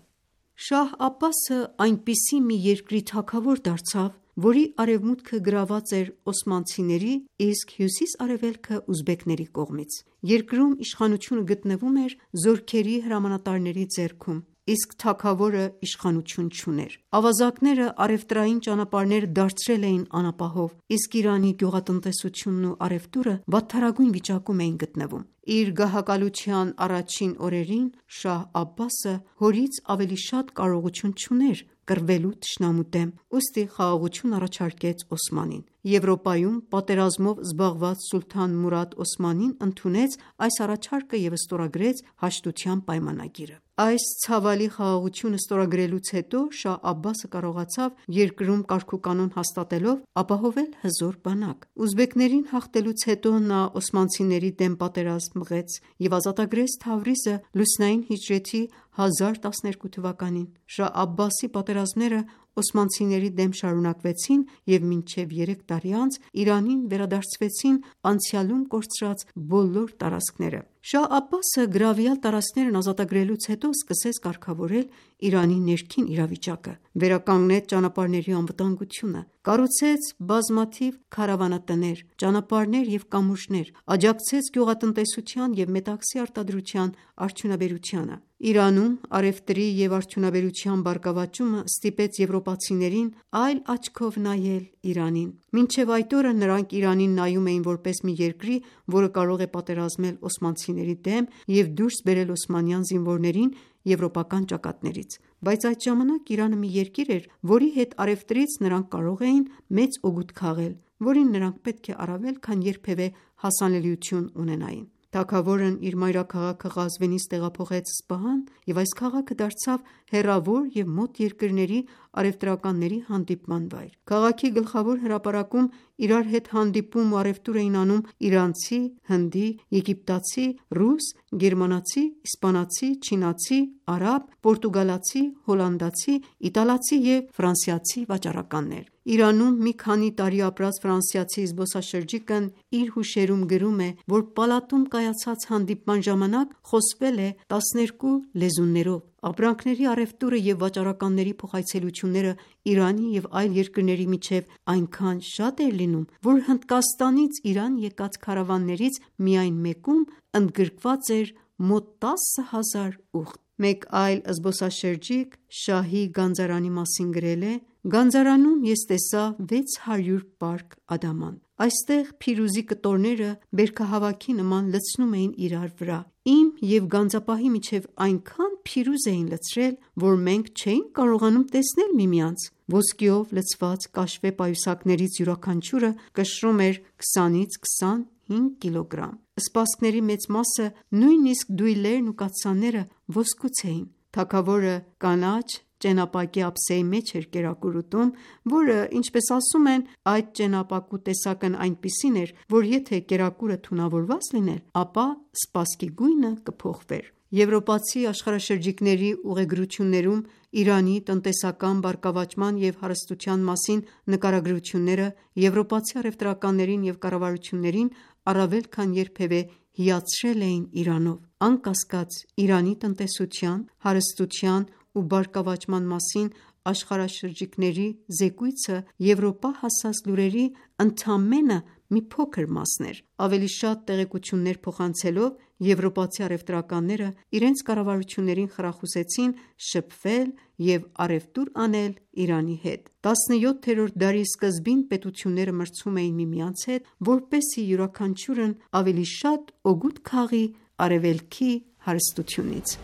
Շահ Աբբասը այնպիսի մի երկրի թագավոր դարձավ, որի արևմուտքը գրաված էր օսմանցիների, իսկ հյուսիս-արևելքը ուզբեկների կողմից։ Երկրում իշխանությունը գտնվում էր զորքերի հրամանատարների ձեռքում, իսկ թագավորը իշխանություն չուներ։ Ավազակները առևտրային ճանապարհները դարձրել էին անապահով, իսկ Իրանի գյուղատնտեսությունն ու առևտուրը վատթարագույն վիճակում էին գտնվում։ Իր գահակալության առաջին օրերին շահ Աբբասը հորից ավելի շատ կարողություն չուներ կռվելու թշնամու դեմ, ուստի խաղաղություն առաջարկեց Օսմանին։ Եվրոպայում պատերազմով զբաղված սուլթան Մուրադ Օսմանին ընդունեց այս առաջարկը և ստորագրեց հաշտության պայմանագիրը։ Այս ցավալի խաղաղությունը ստորագրելուց հետո շահ Աբբասը կարողացավ երկրում կարգուկանոն հաստատելով ապահովել հզոր բանակ։ Ուզբեկներին հաղթելուց հետո նա օսմանցիների դեմ պատերազմ մղեց և ազատագրեց Թավրիզը լուսնային հիջրեթի 1012 թվականին։ Շահ Աբբասի պատերազմները օսմանցիների դեմ շարունակվեցին և մինչև 3 տարի անց Իրանին վերադարձվեցին անցյալում կորցրած բոլոր տարածքները։ Շահ Աբբասը գրավյալ տարածքներն ազատագրելուց հետո սկսեց կարգավորել Իրանի ներքին իրավիճակը, վերականգնեց ճանապարհների անվտանգությունը, կառուցեց բազմաթիվ քարավանատներ, ճանապարհներ և կամուրջներ, աջակցեց գյուղատնտեսության և մետաքսի արտադրության արդյունաբերությանը։ Իրանում առևտրի և արդյունաբերության բարգավաճումը ստիպեց եվրոպացիներին այլ աչքով նայել Իրանին։ Մինչև այդ օրը նրանք Իրանին նայում էին որպես մի երկրի, որը կարող է պատերազմել օսմանցիների դեմ և դուրս բերել օսմանյան զինվորներին եվրոպական ճակատներից։ Բայց այդ ժամանակ Իրանը մի երկիր էր, որի հետ առևտրից նրանք կարող էին մեծ օգուտ քաղել, որին նրանք պետք է առավել քան երբևէ հասանելիություն ունենային։ Թագավորն իր մայրաքաղաքը Ղազվինից տեղափոխեց Սպահան, և այս քաղաքը դարձավ հեռավոր և մոտ երկրների առևտրականների հանդիպման վայր։ Քաղաքի գլխավոր հրապարակում իրար հետ հանդիպում ու առևտուր էին անում իրանցի, հնդի, եգիպտացի, ռուս, գերմանացի, իսպանացի, չինացի, արաբ, պորտուգալացի, հոլանդացի, իտալացի և ֆրանսիացի վաճառականներ։ Իրանում մի քանի տարի ապրած ֆրանսիացի զբոսաշրջիկն իր հուշերում գրում է, որ պալատում կայացած հանդիպման ժամանակ խոսվել է 12 լեզուներով։ Ապրանքների առևտուրը և վաճառականների փոխայցելությունները Իրանի և այլ երկրների միջև այնքան շատ էր լինում, որ Հնդկաստանից Իրան եկած քարավաններից միայն մեկում ընդգրկված էր մոտ 10,000 ուղտ։ Մեկ այլ զբոսաշրջիկ Շահի գանձարանի մասին գրել է. «Գանձարանում ես տեսա 600 պարկ ադաման։ Այստեղ փիրուզի կտորները բերքահավաքի նման լցնում էին իրար վրա։ Իմ և գանձապահի միջև այնքան փիրուզ էին լցրել, որ մենք չէինք կարողանում տեսնել միմյանց։ Ոսկիով լցված կաշվե պայուսակներից յուրաքանչյուրը կշռում էր 20-ից 25 կիլոգրամ։ Սպասքների մեծ մասը, նույնիսկ դույլերն ու կաթսաները ոսկուց էին։ Թագավորը կանաչ ճենապակյա ափսեի մեջ էր կերակուր ուտում, որը, ինչպես ասում են, այդ ճենապակու տեսակն այնպիսին էր, որ եթե կերակուրը թունավորված լիներ, ապա սպասքի գույնը կփոխվեր»։ Եվրոպացի աշխարհաշրջիկների ուղեգրություններում Իրանի տնտեսական բարգավաճման և հարստության մասին նկարագրությունները եվրոպացի առևտրականներին և կառավարություններին առավել քան երբևէ հիացրել էին Իրանով։ Անկասկած, Իրանի տնտեսության, հարստության ու բարգավաճման մասին աշխարհաշրջիկների զեկույցը Եվրոպա հասած լուրերի ընդամենը մի փոքր մասն էր։ Ավելի շատ տեղեկություններ փոխանցելով եվրոպացի առևտրականները իրենց կառավարություններին խրախուսեցին շփվել և առևտուր անել Իրանի հետ։ 17-րդ դարի սկզբին պետությունները մրցում էին միմյանց հետ, որպեսզի յուրաքանչյուրն ավելի շատ օգուտ քաղի արևելքի հարստությունից։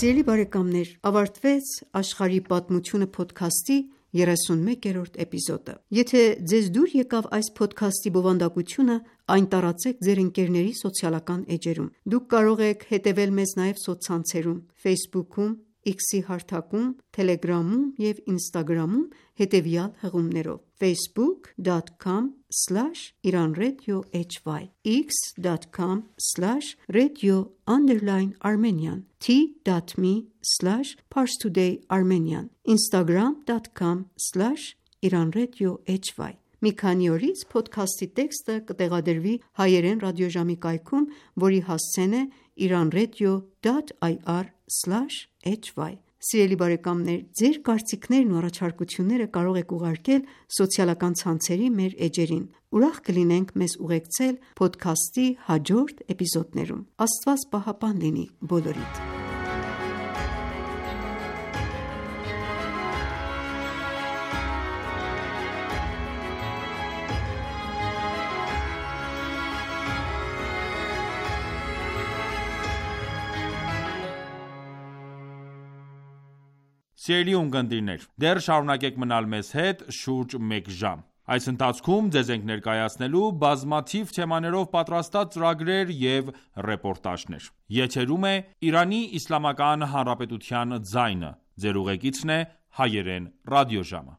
Սիրելի բարեկամներ, ավարտվեց «Աշխարհի պատմությունը» փոդքասթի 31-րդ էպիզոդը։ Եթե ձեզ դուր եկավ այս փոդքասթի բովանդակությունը, այն տարածեք ձեր ընկերների սոցիալական էջերում։ Դուք կարող եք հետևել մեզ նաև սոցցանցերում Facebook-ում, X-ի հարթակում, Telegram-ում և Instagram-ում հետևյալ հղումներով՝ facebook.com/iranradio_hy, x.com/radio_Armenian, t.me/parstoday_armenian, instagram.com/iranradio_hy։ Մի քանի օրից փոդքասթի տեքստը կտեղադրվի հայերեն ռադիոժամի կայքում, որի հասցեն է iranradio.ir/hy։ Սիրելի բարեկամներ, ձեր կարծիքներն ու առաջարկությունները կարող եք ուղարկել սոցիալական ցանցերի մեր էջերին։ Ուրախ կլինենք մեզ ուղեկցել փոդքասթի հաջորդ էպիզոդներում։ Աստված պահապան լինի բոլորիդ։ Սիրելի ունկնդիրներ, դեռ շարունակեք մնալ մեզ հետ շուրջ մեկ ժամ։ Այս ընթացքում ձեզ ենք ներկայացնելու բազմաթիվ թեմաներով պատրաստած ծրագրեր և ռեպորտաժներ։ Եթերում է Իրանի Իսլամական Հանրապետության ձայնը։ Ձեր ուղեկիցն է Հայերեն ռադիոժամը։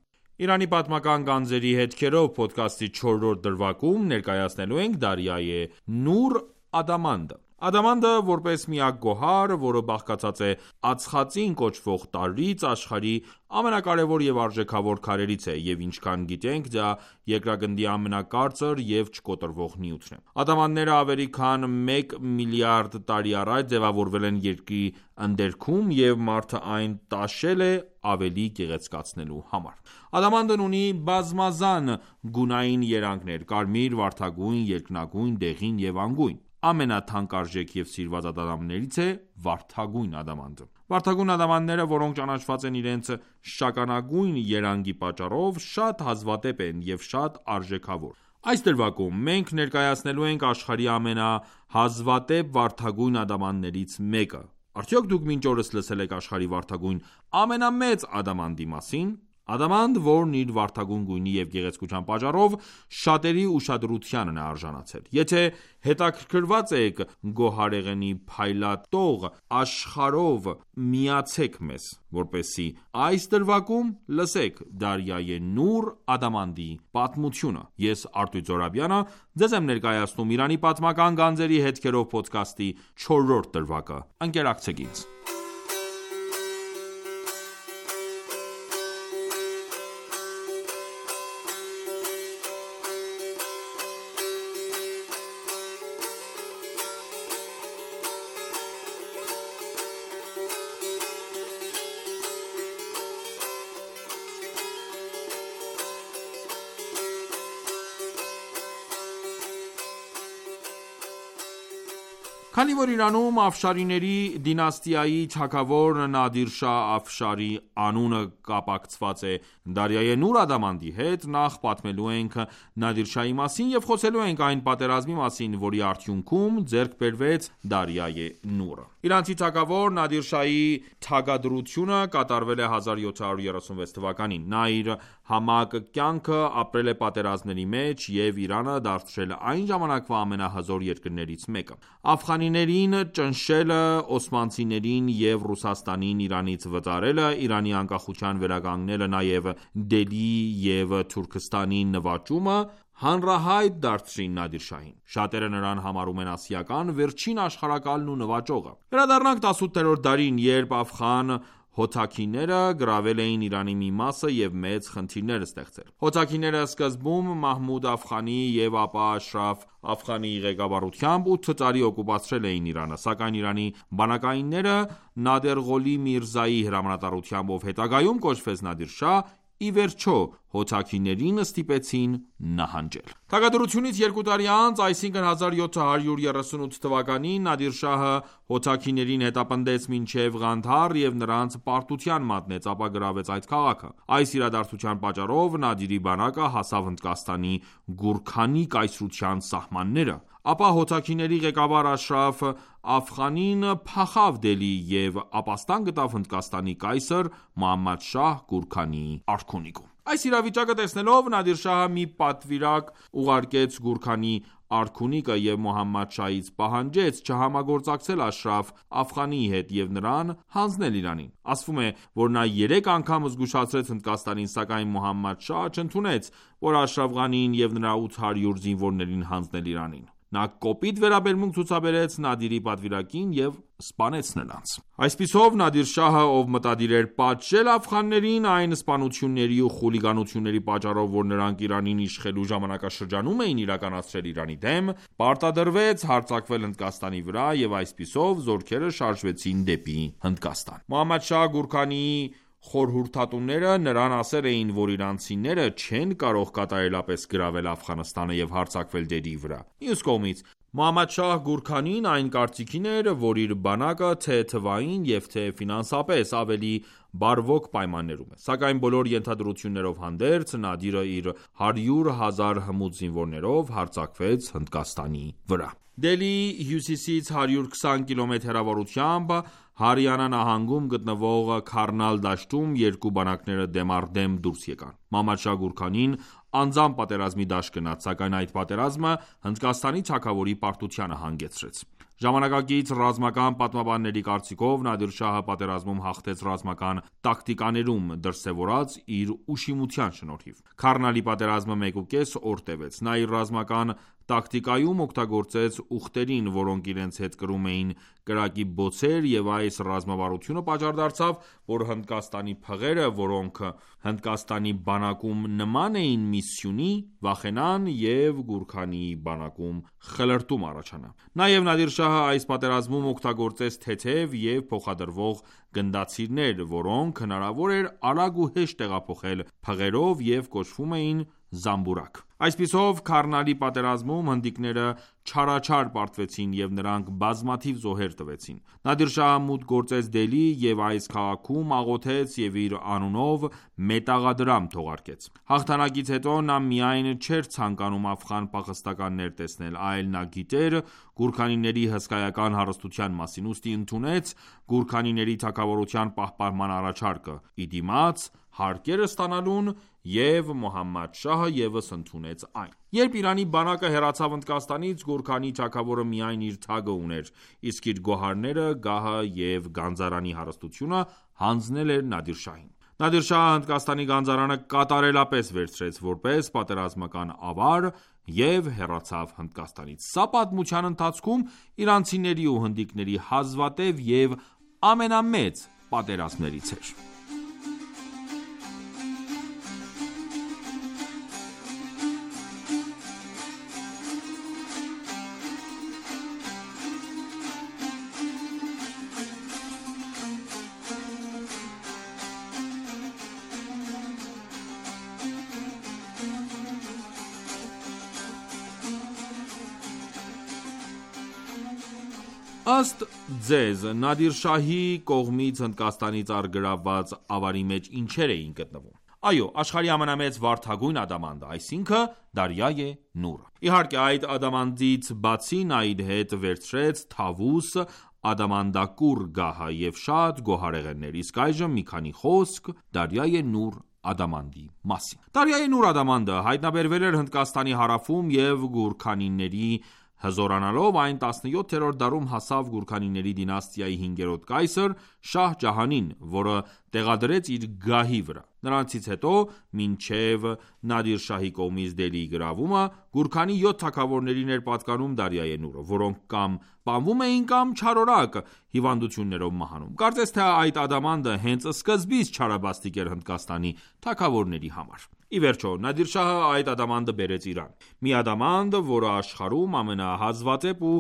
Իրանի պատմական գանձերի հետքերով փոդքասթի 4-րդ դրվագում ներկայացնելու ենք Դարիայե Նուր Ադամանդը։ Ադամանդը, որպես միակ գոհար, որը բաղկացած է ածխածին կոչվող տարրից, աշխարհի ամենակարևոր և արժեքավոր քարերից է, և ինչքան գիտենք, դա երկրագնդի ամենակարծր և չկոտրվող նյութն է։ Ադամանդները ավելի քան 1 միլիարդ տարի առաջ ձևավորվել են Երկրի ընդերքում, և մարդը այն տաշել է ավելի գեղեցկացնելու համար։ Ադամանդն ունի բազմազան գունային երանգներ՝ կարմիր, վարդագույն, երկնագույն, դեղին և անգույն։ Ամենաթանկարժեք և սիրված ադամանդներից է վարդագույն ադամանդը։ Վարդագույն ադամանդները, որոնք ճանաչված են իրենց շագանակագույն երանգի պատճառով, շատ հազվադեպ են և շատ արժեքավոր։ Այս դրվագում մենք ներկայացնելու ենք աշխարհի ամենահազվադեպ վարդագույն ադամանդներից մեկը։ Արդյոք դուք մինչ օրս լսել եք աշխարհի վարդագույն ամենամեծ ադամանդի մասին։ Ադամանդ, որն իր վարդագույն գույնի և գեղեցկության պատճառով շատերի ուշադրությանն է արժանացել։ Եթե հետաքրքրված եք գոհարեղենի փայլատող աշխարհով, միացեք մեզ, որպեսզի այս դրվագում լսեք Դարիայե Նուր Ադամանդի պատմությունը։ Ես Արտույտ Զոհրաբյանը ձեզ եմ ներկայացնում Իրանի պատմական գանձերի հետքերով փոդքասթի 4-րդ դրվագը։ Ընկերակցեք ինձ։ Քանի որ Իրանում Աֆշարիների դինաստիայի թագավոր Նադիր Շահ Աֆշարի անունը կապակցված է Դարիայե Նուր Ադամանդի հետ, նախ պատմելու ենք Նադիր Շահի մասին և խոսելու ենք այն պատերազմի մասին, որի արդյունքում ձեռք բերվեց Դարիայե Նուրը։ Իրանցի թագավոր Նադիր Շահի թագադրությունը կատարվել է 1736 թվականին։ Նա իր համակ կյանքը ապրել է պատերազմների մեջ և Իրանը դարձրել այն ժամանակվա ամենահզոր երկրներից մեկը։ Աֆղանիներին ճնշելը, օսմանցիներին և Ռուսաստանին Իրանից վտարելը, Իրանի անկախության վերականգնելը, նաև Դելհի և Թուրքստանի նվաճումը հանրահայտ դարձրին Նադիր Շահին։ Շատերը նրան համարում են ասիական վերջին աշխարհակալն ու նվաճողը։ Վերադառնանք 18-րդ դարին, երբ աֆղան հոթաքիները գրավել էին Իրանի մի մասը և մեծ խնդիրներ ստեղծել։ Հոթաքիները սկզբում Մահմուդ Աֆղանի և ապա Աշրաֆ Աֆղանի ղեկավարությամբ 8 տարի օկուպացրել էին Իրանը, սակայն Իրանի բանակայինները Նադերղոլի Միրզայի հրամանատարությամբ, ով հետագայում կոչվեց Նադիր Շահ, ի վերջո հոթաքիներին ստիպեցին նահանջել։ Թագադրությունից 2 տարի անց, այսինքն 1738 թվականին, Նադիր Շահը հոթաքիներին հետապնդեց մինչև Ղանդհար և նրանց պարտության մատնեց, ապա գրավեց այդ քաղաքը։ Այս իրադարձության պատճառով Նադիրի բանակը հասավ Հնդկաստանի Գուրքանի կայսրության սահմանները, ապա հոթաքիների ղեկավար Աշրաֆ Աֆղանին փախավ Դելհի և ապաստան գտավ Հնդկաստանի կայսր Մուհամմադ Շահ Գուրքանիի արքունիքում։ Այս իրավիճակը տեսնելով, Նադիր Շահը մի պատվիրակ ուղարկեց Գուրքանի արքունիկը և Մուհամմադ Շահից պահանջեց չհամագործակցել Աշրաֆ Աֆղանիի հետ և նրան հանձնել Իրանին։ Ասվում է, որ նա 3 անգամ զգուշացրեց Հնդկաստանին, սակայն Մուհամմադ Շահը չընդունեց, որ Աշրաֆ Ղանիին և նրա 800 զինվորներին հանձնել Իրանին։ Նա կոպիտ վերաբերմունք ցուցաբերեց Նադիրի պատվիրակին և սպանեց նրանց։ Այսպիսով, Նադիր Շահը, ով մտադիր էր պատժել աֆղաններին, այն սպանությունների ու խուլիգանությունների պատճառով, որ նրանք Իրանին իշխելու ժամանակաշրջանում էին իրականացրել Իրանի դեմ, պարտադրվեց հարձակվել Հնդկաստանի վրա և այսպիսով զորքերը շարժվեցին դեպի Հնդկաստան։ Մուհամմադ Շահ Գուրքանիի խորհրդատուները նրան ասել էին, որ իրանցիները չեն կարող կատարելապես գրավել Աֆղանստանը և հարձակվել Դելհիի վրա։ Մյուս կողմից, Մուհամմադ Շահ Գուրքանին այն կարծիքին էր, որ իր բանակը թե թվային և թե ֆինանսապես ավելի բարվոք պայմաններում է։ Սակայն բոլոր ենթադրություններով հանդերձ, Նադիրը իր 100,000 հմուտ զինվորներով հարձակվեց Հնդկաստանի վրա։ Դելհիի հյուսիսից 120 կիլոմետր հեռավորությամբ Հարիանա նահանգում գտնվող Քարնալ դաշտում երկու բանակները դեմ առ դեմ դուրս եկան։ Մուհամմադ Շահ Գուրքանին անձամբ պատերազմի դաշտ գնաց, սակայն այդ պատերազմը Հնդկաստանի թագավորի պարտությանը հանգեցրեց։ Ժամանակակից ռազմական պատմաբանների կարծիքով Նադիր Շահը պատերազմում հաղթեց ռազմական տակտիկաներում դրսևորած իր ուշիմության շնորհիվ։ Քարնալի պատերազմը 1.5 օր տևեց։ Նա իր ռազմական տակտիկայում օգտագործեց ուղտերին, որոնք իրենց հետ կրում էին կրակի բոցեր, եւ այս ռազմավարությունը պատճառ դարձավ, որ Հնդկաստանի փղերը, որոնք Հնդկաստանի բանակում նման էին մի սյունի, վախենան եւ Գուրքանի բանակում խլրտում առաջանա։ Նաեւ Նադիր Շահը այս պատերազմում օգտագործեց թեթև եւ փոխադրվող գնդացիրներ, որոնք հնարավոր էր արագ ու հեշտ տեղափոխել փղերով եւ կոչվում էին զամբուրակ։ Այսպիսով Քարնալի պատերազմում հնդիկները չարաչար պարտվեցին եւ նրանք բազմաթիվ զոհեր տվեցին։ Նադիր Շահը մուտք գործեց Դելհի եւ այս քաղաքում աղոթեց եւ իր անունով մետաղադրամ թողարկեց։ Հաղթանակից հետո նա միայն չէր ցանկանում աֆղան փախստականներ տեսնել, այլ նա գիտեր Գուրքանիների հսկայական հարստության մասին, ուստի ընդունեց Գուրքանիների թագավորության պահպանման առաջարկը՝ ի դիմաց հարկերը ստանալուն, եւ Մոհամմադ Շահը ևս ընդունեց այն։ Երբ Իրանի բանակը հեռացավ Հնդկաստանից, Գուրքանի թագավորը միայն իր թագը ուներ, իսկ իր գոհարները, գահը եւ գանձարանի հարստությունը հանձնել էր Նադիր Շահին։ Նադիր Շահը Հնդկաստանի գանձարանը կատարելապես վերցրեց որպես պատերազմական ավար եւ հեռացավ Հնդկաստանից։ Սա պատմության ընթացքում իրանցիների ու հնդիկների հազվադեպ եւ ամենամեծ պատերազմներից էր։ Ըստ ձեզ, Նադիր Շահի կողմից Հնդկաստանից առգրավված ավարի մեջ ինչեր էին գտնվում։ Այո, աշխարհի ամենամեծ վարդագույն ադամանդը, այսինքն Դարյայե Նուրը։ Իհարկե, այդ ադամանդից բացի նա իր հետ վերցրեց Թավուս ադամանդակուռ գահը եւ շատ գոհարեղեններ, իսկ այժմ մի քանի խոսք Դարյայե Նուր ադամանդի մասին։ Դարյայե Նուր ադամանդը հայտնաբերվել էր Հնդկաստանի հարավում եւ Գուրքանիների հզորանալով այն 17-րդ դարում հասավ Գուրքանիների դինաստիայի 5-րդ կայսր Շահ Ջահանին, որը տեղադրեց իր գահի վրա։ Նրանցից հետո, մինչև Նադիր Շահի կողմից Դելհիի գրավումը, Գուրքանի 7 թագավորներին էր պատկանում Դարյայե Նուրը, որոնք կամ պանվում էին կամ չարորակ հիվանդություններով մահանում։ Կարծես թե այդ ադամանդը հենց սկզբից չարաբաստիկ էր Հնդկաստանի թագավորների համար։ Ի վերջո, Նադիր Շահը այդ ադամանդը բերեց Իրան։ Մի ադամանդ, որը աշխարհում ամենահազվադեպ ու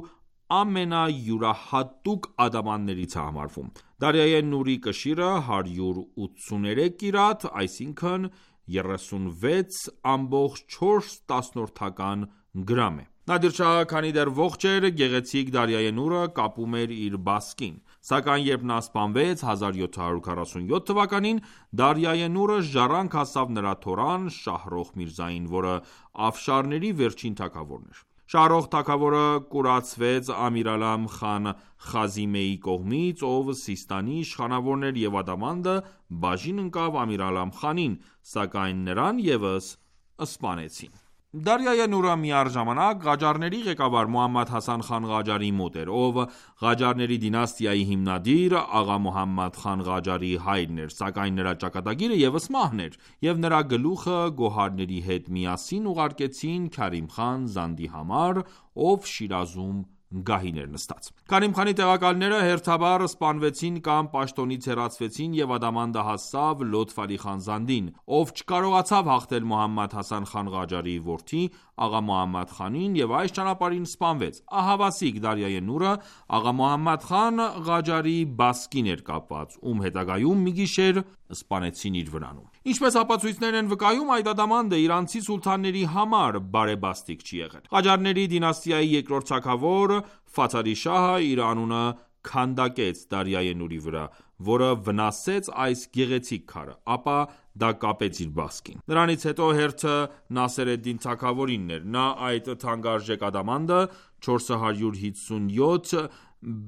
ամենայուրահատուկ ադամանդներից է համարվում։ Դարյայե Նուրի կշիռը 183 կիրատ, այսինքն 36.4 գրամ է։ Նադիր Շահը, քանի դեռ ողջ էր, գեղեցիկ Դարյայե Նուրը կապում էր իր բասկին։ Սակայն երբ նա սպանվեց 1747 թվականին, Դարյայե Նուրը ժառանգ հասավ նրա թորան Շահրոխ Միրզային, որը Աֆշարների վերջին թագավորն էր։ Շահրոխ թագավորը կուրացվեց Ամիրալամ խան Խազիմեի կողմից, ով Սիստանի իշխանավորն էր, եւ ադամանդը բաժին ընկավ Ամիրալամ խանին, սակայն նրան ևս սպանեցին։ Դարյայե Նուրը միառժամանակ Ղաջարների ղեկավար Մոհամմադ Հասան խան Ղաջարի մոտ էր, ով Ղաջարների դինաստիայի հիմնադիր Աղա Մոհամմադ խան Ղաջարի հայրն էր, սակայն նրա ճակատագիրը ևս մահն էր, եւ նրա գլուխը գոհարների հետ միասին ուղարկեցին Քարիմ խան Զանդի համար, ով Շիրազում գահին էր նստած։ Քարիմ խանի տեղակալները հերթաբար սպանվեցին կամ պաշտոնից հեռացվեցին եւ ադամանդը հասավ Լոթֆ Ալի խան Զանդին, ով չկարողացավ հաղթել Մոհամմադ Հասան խան Ղաջարի որդի Աղա Մոհամմադ խանին եւ այս ճանապարհին սպանվեց։ Ահավասիկ Դարյայե Նուրը Աղա Մոհամմադ խան Ղաջարի բասկին էր կապված, ում հետագայում մի գիշեր սպանեցին իր վրանում։ Ինչպես ապացույցներն են վկայում, այդ ադամանդը իրանցի սուլթանների համար բարեբաստիկ չի եղել։ Ղաջարների դինաստիայի երկրորդ թագավոր Ֆաթալի Շահը իր անունը քանդակեց Դարյայե Նուրի վրա, որը վնասեց այս գեղեցիկ քարը, ապա դա կապեց իր բասկին։ Նրանից հետո հերթը Նասեր էդ-Դին թագավորինն էր։ Նա այդ թանկարժեք ադամանդը 457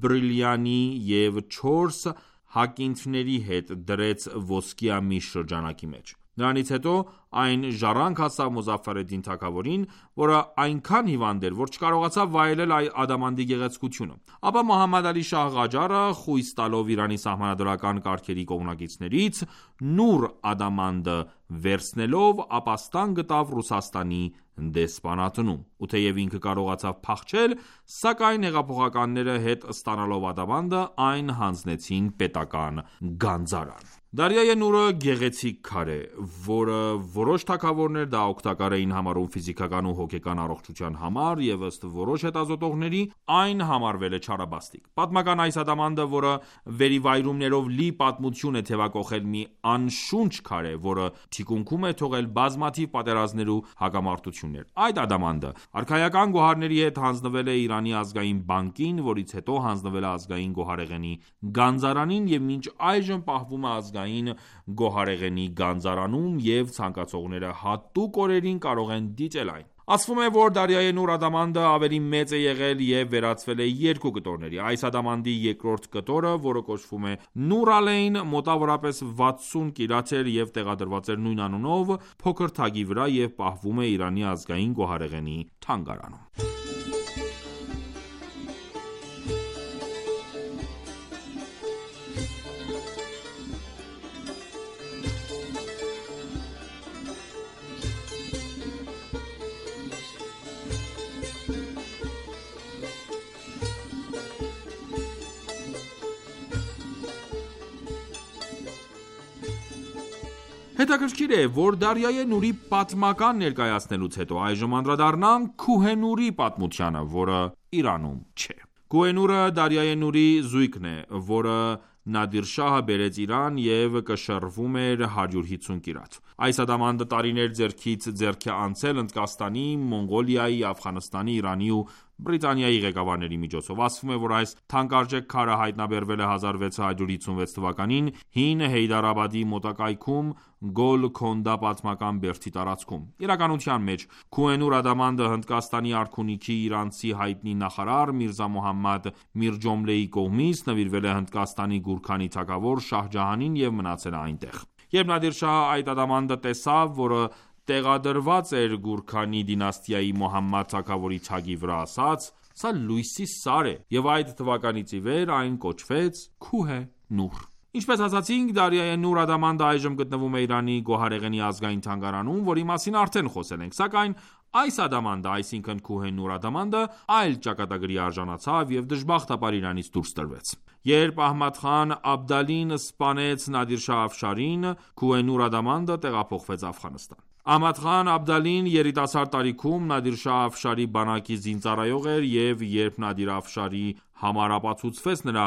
բրիլիանի եւ 4 հակինթների հետ դրեց ոսկիամի շրջանակի մեջ։ Նրանից հետո այն ժառանգ հասավ Մուզաֆար ալ-Դին թագավորին, որը այնքան հիվանդ էր, որ չկարողացավ վայելել ադամանդի գեղեցկությունը։ Ապա Մոհամմադ Ալի Շահ Ղաջարը, խույս տալով Իրանի սահմանադրական կարգերի կողմնակիցներից, Նուր ադամանդը վերցնելով ապաստան գտավ Ռուսաստանի դեսպանատնում, ու թեև ինքը կարողացավ փախչել, սակայն հեղափոխականները հետ ստանալով ադամանդը, այն հանձնեցին պետական գանձարան։ Դարյայե Նուրը գեղեցիկ քար է, որը որոշ թագավորներ դա օգտակար էին համարում ֆիզիկական ու հոգեկան առողջության համար, և ըստ որոշ հետազոտողների, այն համարվել է չարաբաստիկ։ Պատմական այս ադամանդը, որը վերիվայրումներով լի պատմություն է թևակողել մի անշունչ քար է, որը թիկունքում է թողել բազմաթիվ պատերազմներ ու հակամարտություններ։ Այդ ադամանդը արքայական գոհարների հետ հանձնվել է Իրանի ազգային բանկին, որից հետո հանձնվել է ազգային գոհարեղենի գանձարանին և մինչ այժմ պահվում է ազգային գոհարեղենի գանձարանում և ցանկացողները հատուկ օրերին կարող են դիտել այն։ Ասվում է, որ Դարյայե Նուր ադամանդը ավելի մեծ է եղել և վերածվել է երկու կտորների։ Այս ադամանդի երկրորդ կտորը, որը կոչվում է Նուր Ալեյն, մոտավորապես 60 կիլոց էր և տեղադրված էր նույն անունով փոքր թագի վրա և պահվում է Իրանի ազգային գոհարեղենի թանգարանում։ Հետաքրքիր է, որ Դարյայե Նուրի պատմական ներկայացնելուց հետո այժմ անդրադառնանք Քուհենուրի պատմությանը, որը Իրանում չէ։ Քուհենուրը Դարյայե Նուրի զույգն է, որը Նադիր Շահը բերեց Իրան և կշռվում էր 150 կիլոց։ Այս ադամանդը տարիներ ձեռքից ձեռք է անցել Հնդկաստանի, Մոնղոլիայի, Աֆղանստանի, Իրանի ու Բրիտանիայի ղեկավարների միջոցով։ Ասվում է, որ այս թանկարժեք քարը հայտնաբերվել է 1656 թվականին հին Հեյդարաբադի մոտակայքում Գոլքոնդա պատմական բերդի տարածքում։ Իրականության մեջ Քուհենուր ադամանդը Հնդկաստանի արքունիքի իրանցի հայտնի նախարար Միրզա Մոհամմադ Միրջոմլեի կողմից նվիրվել է Հնդկաստանի Գուրքանի թագավոր Շահ Ջահանին և մնացել է այնտեղ։ Երբ Նադիր Շահը այդ ադամանդը տեսավ, որը տեղադրված էր Գուրքանի դինաստիայի Մոհամմադ թագավորի թագի վրա, ասաց. «Սա լույսի սար է», և այդ թվականից ի վեր այն կոչվեց Քուհե Նուր։ Ինչպես ասացինք, Դարյայե Նուր ադամանդը այժմ գտնվում է Իրանի գոհարեղենի ազգային թանգարանում, որի մասին արդեն խոսել ենք, սակայն այս ադամանդը, այսինքն Քուհե Նուր ադամանդը, այլ ճակատագրի արժանացավ և դժբախտաբար Իրանից դուրս տրվեց։ Երբ Ահմադ խան Աբդալին սպանեց Նադիր Շահ Աֆշարին, Քուհե Նուր ադամանդը տեղափոխվեց Աֆղանստան։ Ահմադ խան Աբդալին երիտասարդ տարիքում Նադիր Շահ Աֆշարի բանակի զինծառայող էր և երբ Նադիր Աֆշարի համար ապացուցվեց նրա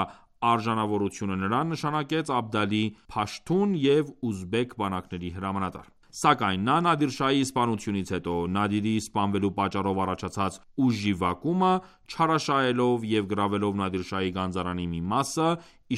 արժանավորությունը, նրան նշանակեց Աբդալի փաշթուն և ուզբեկ բանակների հրամանատար։ Սակայն նա Նադիր Շահի սպանությունից հետո Նադիրի սպանվելու պատճառով առաջացած ուժի վակումը չարաշահելով և գրավելով Նադիր Շահի գանձարանի մի մասը,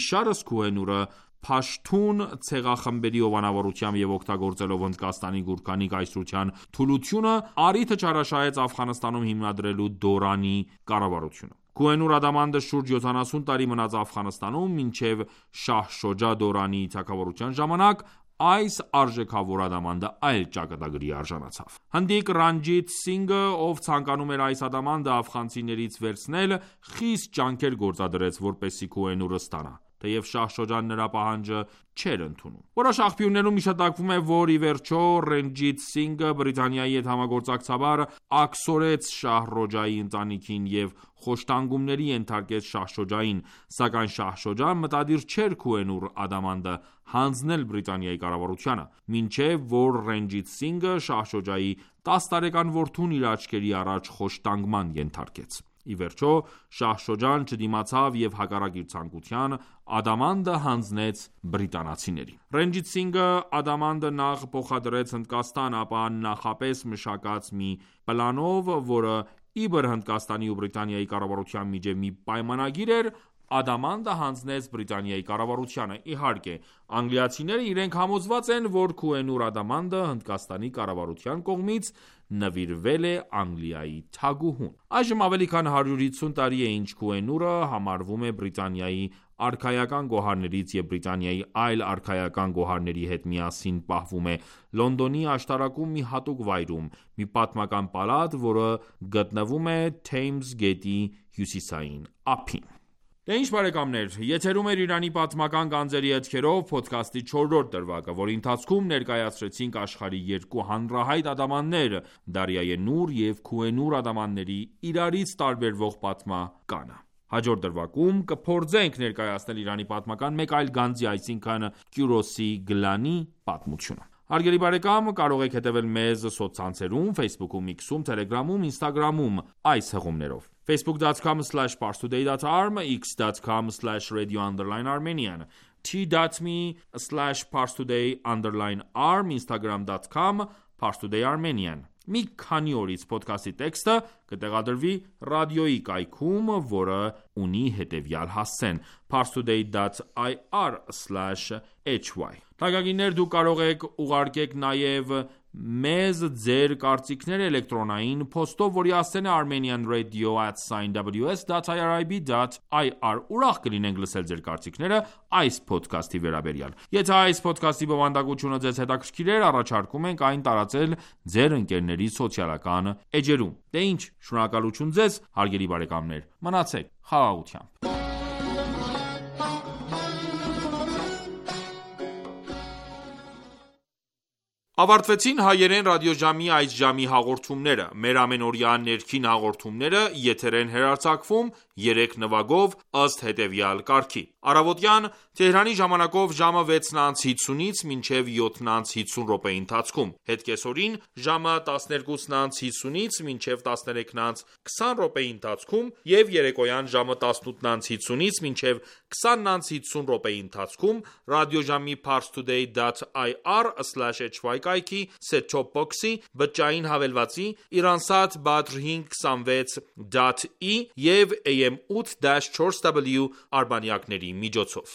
իշարս Քուհե Նուրը փաշթուն ցեղախմբերի հովանավորությամբ և օգտագործելով Հնդկաստանի Գուրքանի կայսրության թուլությունը, առիթը չարաշահեց Աֆղանստանում հիմնադրելու Դորանի կառավարությունը։ Քուհե Նուր ադամանդը շուրջ 70 տարի մնաց Աֆղանստանում, մինչև Շահ Շոջա Դորանի թագավորության ժամանակ այս արժեքավոր ադամանդը այլ ճակատագրի արժանացավ։ Հնդիկ Ռանջիթ Սինգը, ով ցանկանում էր այս ադամանդը աֆղանցիներից վերցնել, խիստ ջանքեր գործադրեց, որպեսզի Քուհե Նուրը ստանա, թեև Շահ Շոջան նրա պահանջը չէր ընդունում։ Որոշ աղբյուրներում հիշատակվում է, որ ի վերջո Ռենջիթ Սինգը Բրիտանիայի հետ համագործակցաբար աքսորեց Շահ Ռոջայի ընտանիքին և խոշտանգումների ենթարկեց Շահ Շոջային, սակայն Շահ Շոջան մտադիր չէր Քուհե Նուր ադամանդը հանձնել Բրիտանիայի կառավարությանը, մինչև որ Ռենջիթ Սինգը Շահ Շոջայի 10 տարեկան որդուն իր աչքերի առաջ խոշտանգման ենթարկեց։ Ի վերջո Շահ Շոջան չդիմացավ և հակառակ իր ցանկության ադամանդը հանձնեց բրիտանացիներին։ Ռենջիթ Սինգը ադամանդը նախ փոխադրեց Հնդկաստան, ապա նախապես մշակած մի պլանով, որը իբր Հնդկաստանի ու Բրիտանիայի կառավարության միջև մի պայմանագիր էր, ադամանդը հանձնեց Բրիտանիայի կառավարությանը։ Իհարկե, անգլիացիները իրենք համոզված են, որ Քուհենուր ադամանդը Հնդկաստանի կառավարության կողմից նվիրվել է Անգլիայի թագուհուն։ Այժմ ավելի քան 150 տարի է ինչ Քուհենուրը համարվում է Բրիտանիայի արքայական գոհարներից և Բրիտանիայի այլ արքայական գոհարների հետ միասին պահվում է Լոնդոնի աշտարակում մի հատուկ վայրում, մի պատմական պալատ, որը գտնվում է Թեյմզ գետի հյուսիսային ափին։ Դե ինչ բարեկամներ, եթերում էր Իրանի պատմական գանձերի հետքերով փոդքասթի 4-րդ դրվագը, որի ընթացքում ներկայացրեցինք աշխարհի երկու հանրահայտ ադամանդներ՝ Դարիայի Նուր և Քուհենուր ադամանդների իրարից տարբերվող պատմականը։ Հաջորդ դրվագում կփորձենք ներկայացնել Իրանի պատմական մեկ այլ գանձի, այսինքն Կյուրոսի գլանի պատմությունը։ Հարգելի բարեկամ, կարող եք հետևել մեզ սոցցանցերում, Facebook-ում, X-ում, Telegram-ում, Instagram-ում այս հղումներով. facebook.com/parstoday.arm, x.com/radio_armenian, t.me/parstoday_arm, instagram.com/parstoday_armenian։ Մի քանի օրից փոդքասթի տեքստը կտեղադրվի ռադիոյի կայքում, որը ունի հետևյալ հասցեն՝ parstoday.ir/hy։ Թանկագիններ, դուք կարող եք ուղարկեք նաև մեզ ձեր կարծիքները էլեկտրոնային փոստով, որի հասցեն է armenianradio@ws.irib.ir։ Ուրախ կլինենք լսել ձեր կարծիքները այս փոդքասթի վերաբերյալ։ Եթե այս փոդքասթի բովանդակությունը ձեզ հետաքրքիր էր, առաջարկում ենք այն տարածել ձեր ընկերների սոցիալական էջերում։ Դե ինչ, շնորհակալություն ձեզ, հարգելի բարեկամներ, մնացեք խաղաղությամբ։ Ավարտվեցին հայերեն ռադիոժամի այս ժամի հաղորդումները։ Մեր ամենօրյա ներքին հաղորդումները եթեր են հեռարձակվում 3 նվագով ըստ հետևյալ կարգի. Առավոտյան Թեհրանի ժամանակով ժամը 6:50-ից մինչև 7:50 րոպեի ընթացքում, հետկեսօրին ժամը 12:50-ից մինչև 13:20 րոպեի ընթացքում և երեկոյան ժամը 18:50-ից մինչև 20:50 րոպեի ընթացքում ռադիոժամի parstoday.ir/hy կայքի set-top box-ի, բջջային հավելվածի, Iransat Badr 526.E և AM 8-4W արբանյակների միջոցով։